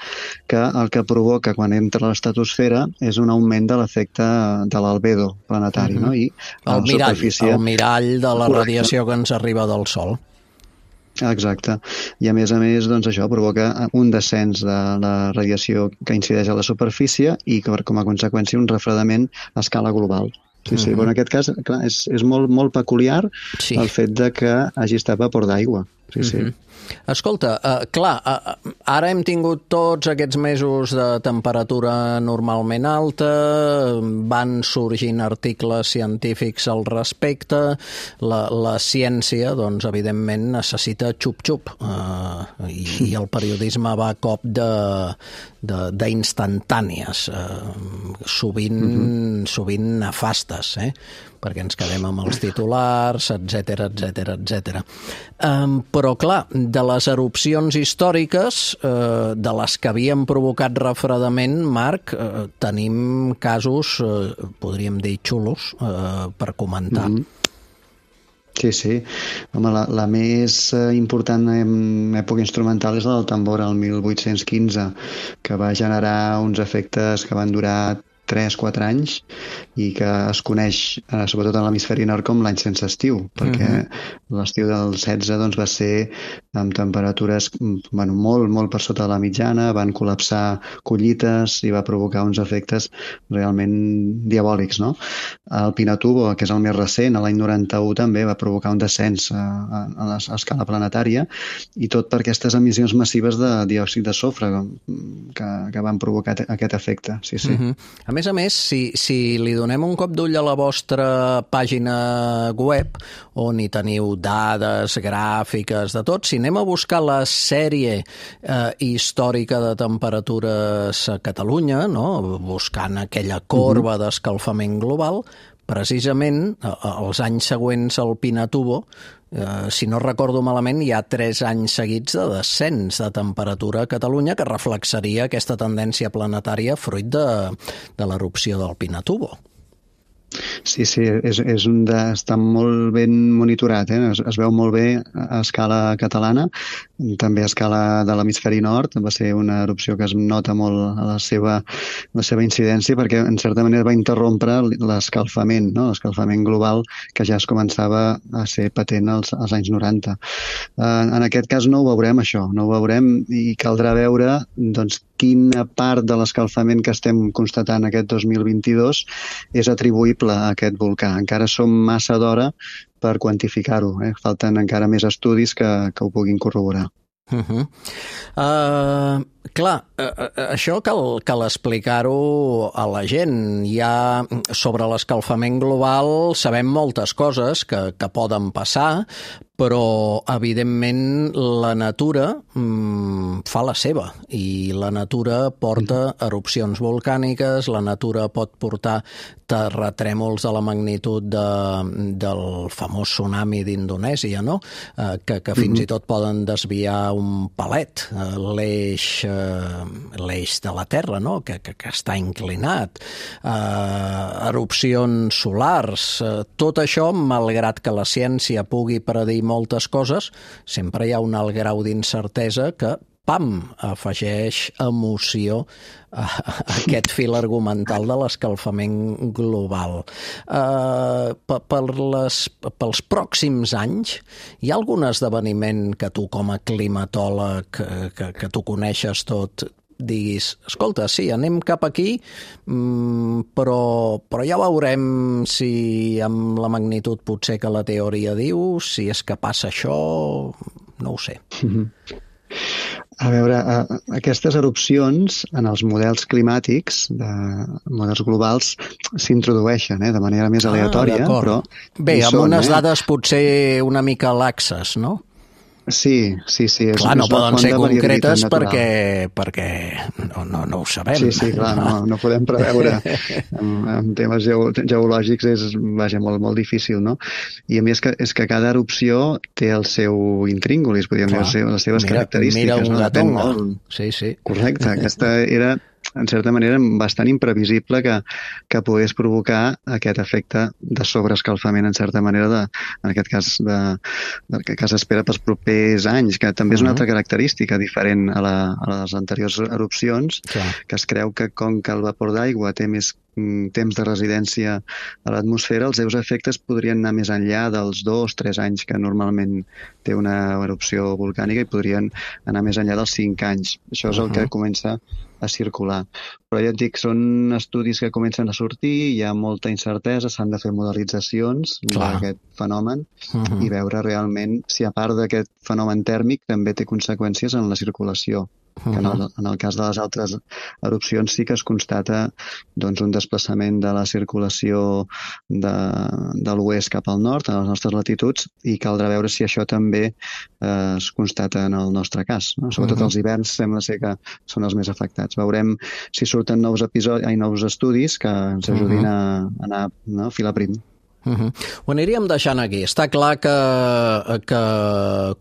que el que provoca quan entra a l'estratosfera és un augment de l'efecte de l'albedo planetari. Mm-hmm. No? I el, mirall, superfície... el mirall de la radiació que ens arriba del Sol. Exacte. I a més a més, doncs això provoca un descens de la radiació que incideix a la superfície i com a conseqüència un refredament a escala global. Sí, sí, però en aquest cas, clar, és, és molt, molt peculiar sí. el fet de que hagi estat vapor d'aigua. Sí, sí. Mm-hmm. Escolta, uh, clar, uh, ara hem tingut tots aquests mesos de temperatura normalment alta, van sorgint articles científics al respecte, la, la ciència, doncs, evidentment, necessita xup-xup, uh, i, i el periodisme va a cop d'instantànies, uh, sovint, mm-hmm. sovint nefastes, eh? perquè ens quedem amb els titulars, etcètera, etcètera, etcètera. Um, però, clar, de les erupcions històriques, uh, de les que havien provocat refredament, Marc, uh, tenim casos, uh, podríem dir, xulos, uh, per comentar. Mm-hmm. Sí, sí. Home, la, la més important en època instrumental és la del Tambora, el mil vuit-cents quinze, que va generar uns efectes que van durar tres quatre anys i que es coneix, eh, sobretot en l'hemisferi nord, com l'any sense estiu, perquè uh-huh. l'estiu del setze doncs, va ser amb temperatures bueno, molt, molt per sota de la mitjana, van col·lapsar collites i va provocar uns efectes realment diabòlics. No? El Pinatubo, que és el més recent, l'any noranta-u també va provocar un descens a, a, a, la, a escala planetària i tot per aquestes emissions massives de diòxid de sofre que, que van provocar aquest efecte. Sí, sí. Uh-huh. A més a més, si, si li donem un cop d'ull a la vostra pàgina web, on hi teniu dades, gràfiques, de tot, si anem a buscar la sèrie eh, històrica de temperatures a Catalunya, no? Buscant aquella corba d'escalfament global, precisament els anys següents al Pinatubo, eh, si no recordo malament, hi ha tres anys seguits de descens de temperatura a Catalunya que reflexaria aquesta tendència planetària fruit de, de l'erupció del Pinatubo. Sí, sí, és, és un de, està molt ben monitorat, eh? es, es veu molt bé a escala catalana, també a escala de l'hemisferi nord. Va ser una erupció que es nota molt la seva, la seva incidència perquè en certa manera va interrompre l'escalfament, no? L'escalfament global que ja es començava a ser patent als, als anys noranta. Eh, en aquest cas no ho veurem això, no ho veurem i caldrà veure doncs, quina part de l'escalfament que estem constatant aquest dos mil vint-i-dos és atribuïble a aquest volcà. Encara som massa d'hora per quantificar-ho. Eh? Falten encara més estudis que, que ho puguin corroborar. Uh-huh. Uh, clar, uh, això cal, cal explicar-ho a la gent. Ja sobre l'escalfament global sabem moltes coses que, que poden passar, però evidentment la natura mm, fa la seva i la natura porta erupcions volcàniques, la natura pot portar terratrèmols de la magnitud de, del famós tsunami d'Indonèsia, no? Eh, que, que fins i tot poden desviar un palet, eh, l'eix, eh, l'eix de la Terra, no? que, que, que està inclinat, eh, erupcions solars, eh, tot això, malgrat que la ciència pugui predir moltes coses, sempre hi ha un alt grau d'incertesa que, pam, afegeix emoció a aquest fil argumental de l'escalfament global. Uh, per les, pels pròxims anys, hi ha algun esdeveniment que tu, com a climatòleg, que, que tu coneixes tot, diguis, escolta, sí, anem cap aquí, però, però ja veurem si amb la magnitud potser que la teoria diu, si és que passa això, no ho sé. A veure, aquestes erupcions en els models climàtics, de models globals, s'introdueixen eh, de manera més aleatòria, ah, però... Bé, amb són, unes eh? dades potser una mica laxes, no? Sí, sí, sí. És, clar, no és poden ser concretes perquè, perquè no, no, no ho sabem. Sí, sí, clar, no, no podem preveure. En, en temes geo, geològics és vaja, molt, molt difícil, no? I a més que, és que cada erupció té el seu intríngulis, podríem dir, les seves mira, característiques. Mira un no? gatonga. Molt... Sí, sí. Correcte, aquesta era... en certa manera, bastant imprevisible que, que pogués provocar aquest efecte de sobreescalfament, en certa manera, de, en aquest cas, de, del que s'espera pels propers anys, que també és una altra característica diferent a, la, a les anteriors erupcions, Clar. que es creu que com que el vapor d'aigua té més temps de residència a l'atmosfera, els seus efectes podrien anar més enllà dels dos, tres anys que normalment té una erupció volcànica i podrien anar més enllà dels cinc anys. Això és el que comença a circular. Però ja et dic, són estudis que comencen a sortir, hi ha molta incertesa, s'han de fer modelitzacions d'aquest fenomen uh-huh. i veure realment si a part d'aquest fenomen tèrmic també té conseqüències en la circulació. Que en, el, en el cas de les altres erupcions sí que es constata doncs, un desplaçament de la circulació de, de l'oest cap al nord, a les nostres latituds, i caldrà veure si això també eh, es constata en el nostre cas. No? Sobretot uh-huh. els hiverns sembla ser que són els més afectats. Veurem si surten nous episodis, hi nous estudis que ens ajudin uh-huh. a anar no, fil a prim. Uh-huh. Ho aniríem deixant aquí. Està clar que, que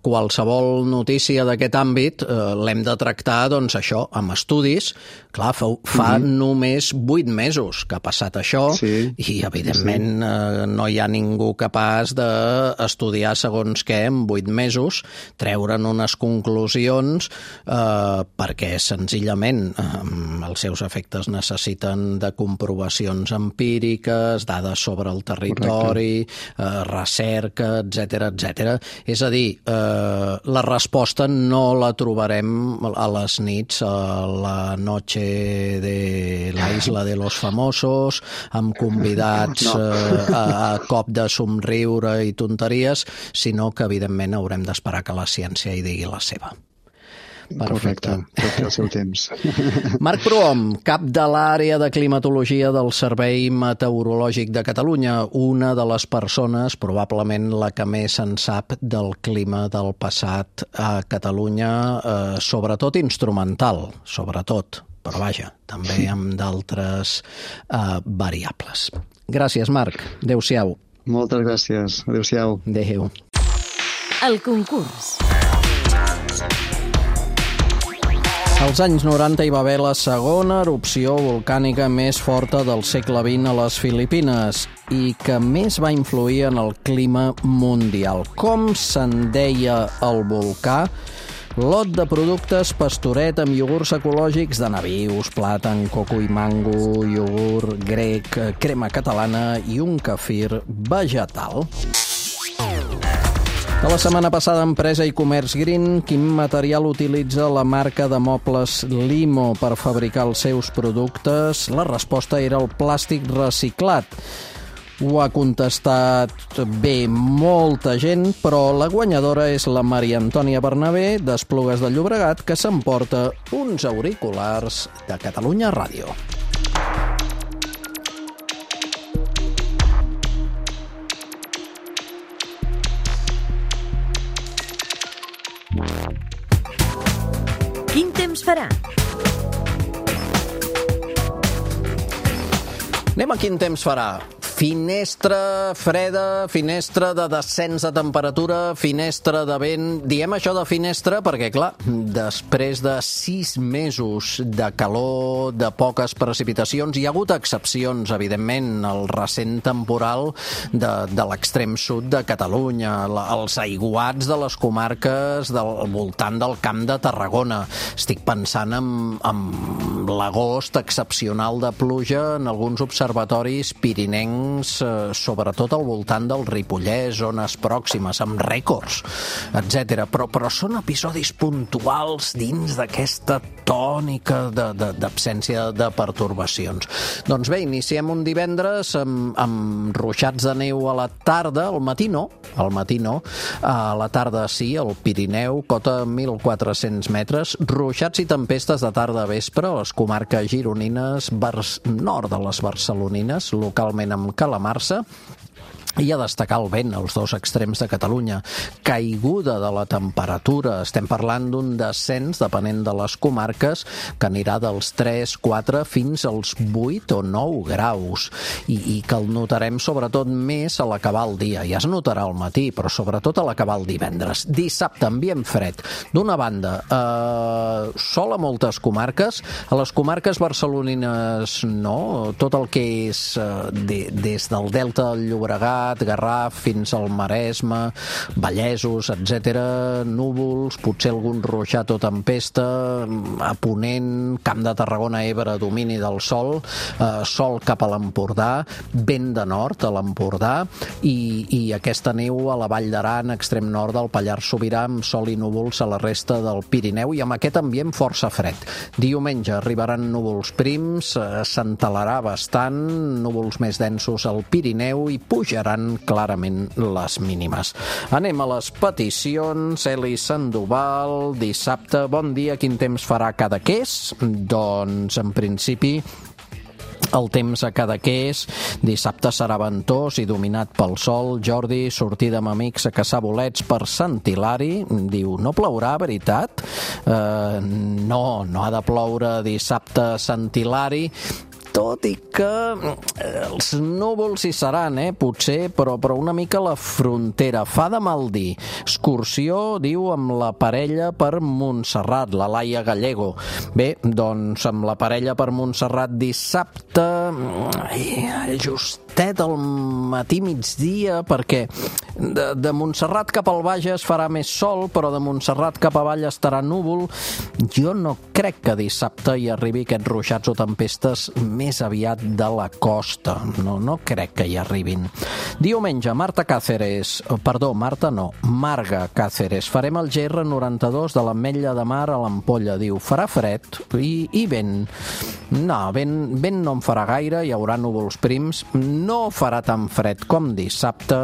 qualsevol notícia d'aquest àmbit eh, l'hem de tractar, doncs, això, amb estudis. Clar, fa, fa uh-huh. només vuit mesos que ha passat això sí. i, evidentment, sí. eh, no hi ha ningú capaç d'estudiar segons què en vuit mesos, treure'n unes conclusions, eh, perquè, senzillament, eh, els seus efectes necessiten de comprovacions empíriques, dades sobre el territori, Eh, recerca, etcètera, etcètera. És a dir, eh, la resposta no la trobarem a les nits a la noche de la isla de los famosos, amb convidats no. eh, a, a cop de somriure i tonteries, sinó que, evidentment, haurem d'esperar que la ciència hi digui la seva. Perfecte, tot té el seu temps. Marc Prohom, cap de l'àrea de climatologia del Servei Meteorològic de Catalunya, una de les persones, probablement la que més en sap del clima del passat a Catalunya, eh, sobretot instrumental, sobretot, però vaja, també amb d'altres uh, variables. Gràcies, Marc. Adéu-siau. Moltes gràcies. Adéu-siau. Adéu. El concurs. Als anys noranta hi va haver la segona erupció volcànica més forta del segle vint a les Filipines i que més va influir en el clima mundial. Com se'n deia el volcà? Lot de productes pastoret amb iogurts ecològics de nabius, plàtan, coco i mango, iogurt grec, crema catalana i un kefir vegetal. De la setmana passada, Empresa i Comerç Green, quin material utilitza la marca de mobles Limo per fabricar els seus productes? La resposta era el plàstic reciclat. Ho ha contestat bé molta gent, però la guanyadora és la Maria Antònia Bernabé, d'Esplugues de Llobregat, que s'emporta uns auriculars de Catalunya Ràdio. Quin temps farà? Anem a quin temps farà. Finestra freda, finestra de descens de temperatura, finestra de vent. Diem això de finestra perquè, clar, després de sis mesos de calor, de poques precipitacions, hi ha hagut excepcions, evidentment, el recent temporal de, de l'extrem sud de Catalunya, la, els aiguats de les comarques del voltant del Camp de Tarragona. Estic pensant en, en l'agost excepcional de pluja en alguns observatoris pirinencs, sobretot al voltant del Ripollès, zones pròximes, amb rècords, etcètera. Però, però són episodis puntuals dins d'aquesta tònica d'absència de, de, de pertorbacions. Doncs bé, iniciem un divendres amb, amb ruixats de neu a la tarda, al matí no, al matí no, a la tarda sí, al Pirineu, cota mil quatre-cents metres, ruixats i tempestes de tarda a vespre a les comarques gironines, vers nord de les barcelonines, localment amb calamarsa, i a destacar el vent als dos extrems de Catalunya. Caiguda de la temperatura. Estem parlant d'un descens, depenent de les comarques, que anirà dels tres, quatre fins als vuit o nou graus. I, i que el notarem sobretot més a l'acabar el dia. Ja es notarà al matí, però sobretot a l'acabar el divendres. Dissabte, ambient fred. D'una banda, eh, sol a moltes comarques. A les comarques barcelonines no. Tot el que és eh, de, des del Delta del Llobregat, Garraf, fins al Maresme, Vallesos, etcètera, núvols, potser algun ruixat o tempesta, a Ponent, Camp de Tarragona, Ebre, domini del sol, eh, sol cap a l'Empordà, vent de nord a l'Empordà, i, i aquesta neu a la Vall d'Aran, extrem nord del Pallars Sobirà, amb sol i núvols a la resta del Pirineu, i amb aquest ambient força fred. Diumenge arribaran núvols prims, eh, s'entelarà bastant, núvols més densos al Pirineu, i pujaran clarament les mínimes. Anem a les peticions. Eli Sandoval, dissabte, bon dia, quin temps farà a Cadaqués? Doncs, en principi, el temps a Cadaqués dissabte serà ventós i dominat pel sol. Jordi, sortida amb amics a caçar bolets per Sant Hilari. Diu, no plourà, veritat? Uh, no, no ha de ploure dissabte a Sant Hilari, tot i que els núvols hi seran, eh, potser, però, però una mica a la frontera. Fa de mal dir. Excursió, diu, amb la parella per Montserrat, la Laia Gallego. Bé, doncs amb la parella per Montserrat dissabte, justet al matí migdia, perquè de, de Montserrat cap al Bages farà més sol, però de Montserrat cap avall estarà núvol. Jo no crec que dissabte hi arribi aquests ruixats o tempestes més aviat de la costa. No, no crec que hi arribin. Diumenge, Marta Cáceres, perdó, Marta no, Marga Cáceres. Farem el G R noranta-dos de l'Ametlla de Mar a l'Ampolla. Diu, farà fred i, i vent. No, vent, vent no en farà gaire, hi haurà núvols prims. No farà tan fred com dissabte.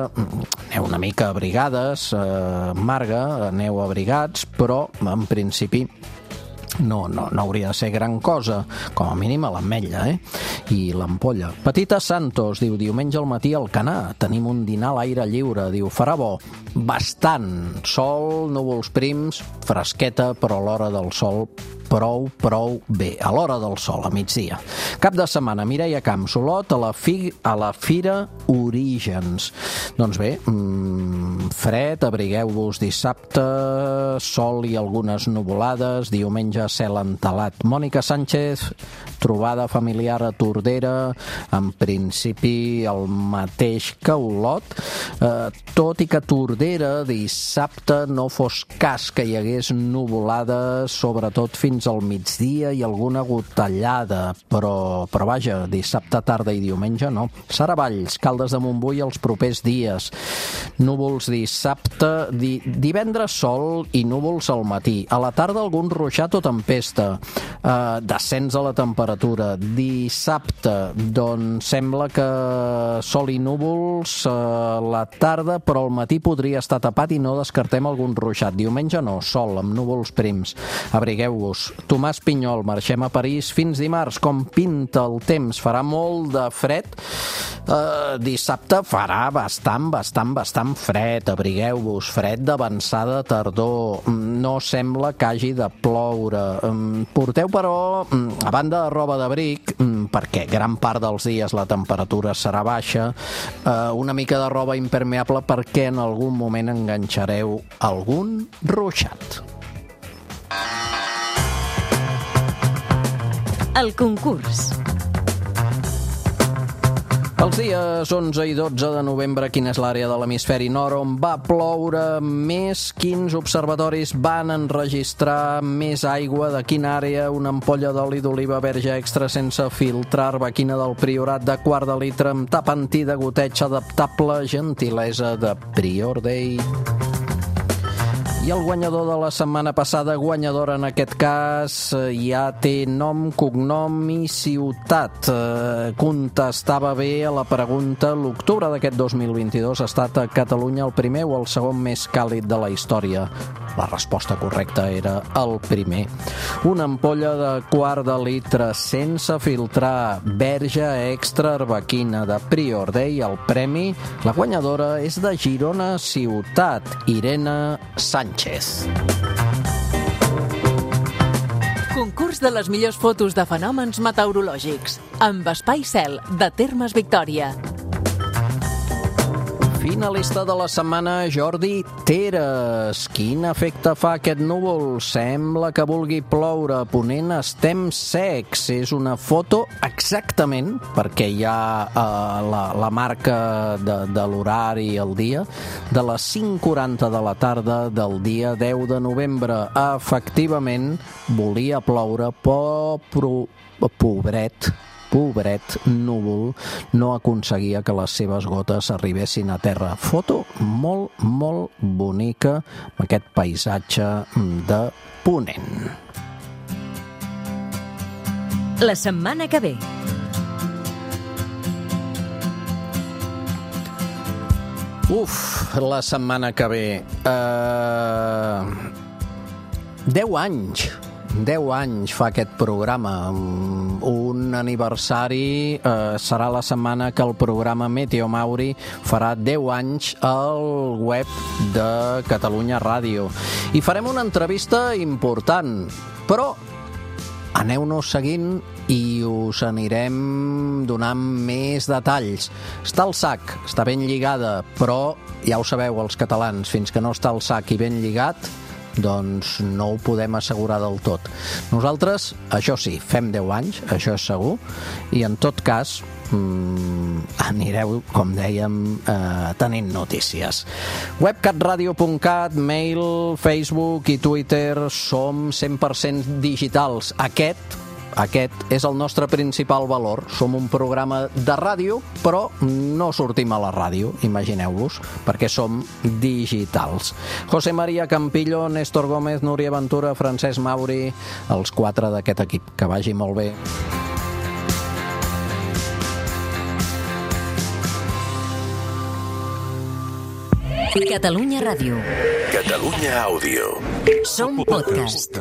Aneu una mica abrigades, eh, Marga, aneu abrigats, però en principi no, no, no hauria de ser gran cosa, com a mínim a l'ametlla, eh? I l'ampolla. Petita Santos diu, diumenge al matí al Canà, tenim un dinar a l'aire lliure, diu, farà bo, bastant, sol, núvols prims, fresqueta, però a l'hora del sol prou, prou bé, a l'hora del sol, a migdia. Cap de setmana, Mireia Camps, Olot, a la, fi, a la Fira Orígens. Doncs bé, mmm, fred, abrigueu-vos dissabte, sol i algunes nuvolades, diumenge cel entelat. Mònica Sánchez, trobada familiar a Tordera, en principi el mateix que Olot, eh, tot i que Tordera dissabte no fos cas que hi hagués nuvolades, sobretot fins al migdia i alguna gotellada, però, però vaja, dissabte tarda i diumenge no. Sara Valls, Caldes de Montbui els propers dies. Núvols dissabte, di, divendres sol i núvols al matí. A la tarda algun ruixat o tempesta. Eh, descens a la temperatura. Dissabte, doncs sembla que sol i núvols a eh, la tarda, però al matí podria estar tapat i no descartem algun ruixat. Diumenge no, sol, amb núvols prims. Abrigueu-vos. Tomàs Pinyol, marxem a París fins dimarts. Com pinta el temps? Farà molt de fred. Uh, dissabte farà bastant, bastant, bastant fred. Abrigueu-vos. Fred d'avançada tardor. No sembla que hagi de ploure. Um, porteu, però, um, a banda de roba d'abric, um, perquè gran part dels dies la temperatura serà baixa, uh, una mica de roba impermeable perquè en algun moment enganxareu algun ruixat. El concurs. Els dies onze i dotze de novembre, quina és l'àrea de l'hemisferi nord on va ploure més? Quins observatoris van enregistrar més aigua? De quina àrea? Una ampolla d'oli d'oliva verge extra sense filtrar, arbequina del Priorat de quart de litre amb tap anti de goteig adaptable, gentilesa de Prior Day. I el guanyador de la setmana passada, guanyadora en aquest cas, ja té nom, cognom i ciutat. Contestava bé a la pregunta. L'octubre d'aquest dos mil vint-i-dos ha estat a Catalunya el primer o el segon més càlid de la història? La resposta correcta era el primer. Una ampolla de quart de litre sense filtrar, verge extra arbequina de Prior Day. El premi, la guanyadora és de Girona Ciutat, Irene Sánchez. Concurs de les millors fotos de fenòmens meteorològics amb Espai Cel de Termes Victòria. Finalista de la setmana, Jordi Teres. Quin efecte fa aquest núvol? Sembla que vulgui ploure. A Ponent estem secs. És una foto exactament, perquè hi ha uh, la, la marca de, de l'horari i el dia, de les cinc quaranta de la tarda del dia deu de novembre. Efectivament, volia ploure, però pro, pobret, pobret núvol no aconseguia que les seves gotes arribessin a terra. Foto molt, molt bonica amb aquest paisatge de Ponent. La setmana que ve. Uf, la setmana que ve. Uh, deu anys. Deu anys fa aquest programa. Un aniversari eh, serà la setmana que el programa Meteo Mauri farà deu anys al web de Catalunya Ràdio. I farem una entrevista important, però aneu-nos seguint i us anirem donant més detalls. Està al sac, està ben lligada, però ja ho sabeu els catalans, fins que no està al sac i ben lligat, doncs no ho podem assegurar del tot. Nosaltres, això sí, fem deu anys, això és segur, i en tot cas mmm, anireu, com dèiem, eh, tenint notícies. web cat radio punt cat, mail, Facebook i Twitter, som cent per cent digitals. Aquest Aquest és el nostre principal valor. Som un programa de ràdio, però no sortim a la ràdio, imagineu-vos, perquè som digitals. José María Campillo, Néstor Gómez, Núria Ventura, Francesc Mauri, els quatre d'aquest equip. Que vagi molt bé. Catalunya Ràdio. Catalunya Àudio. Som podcast.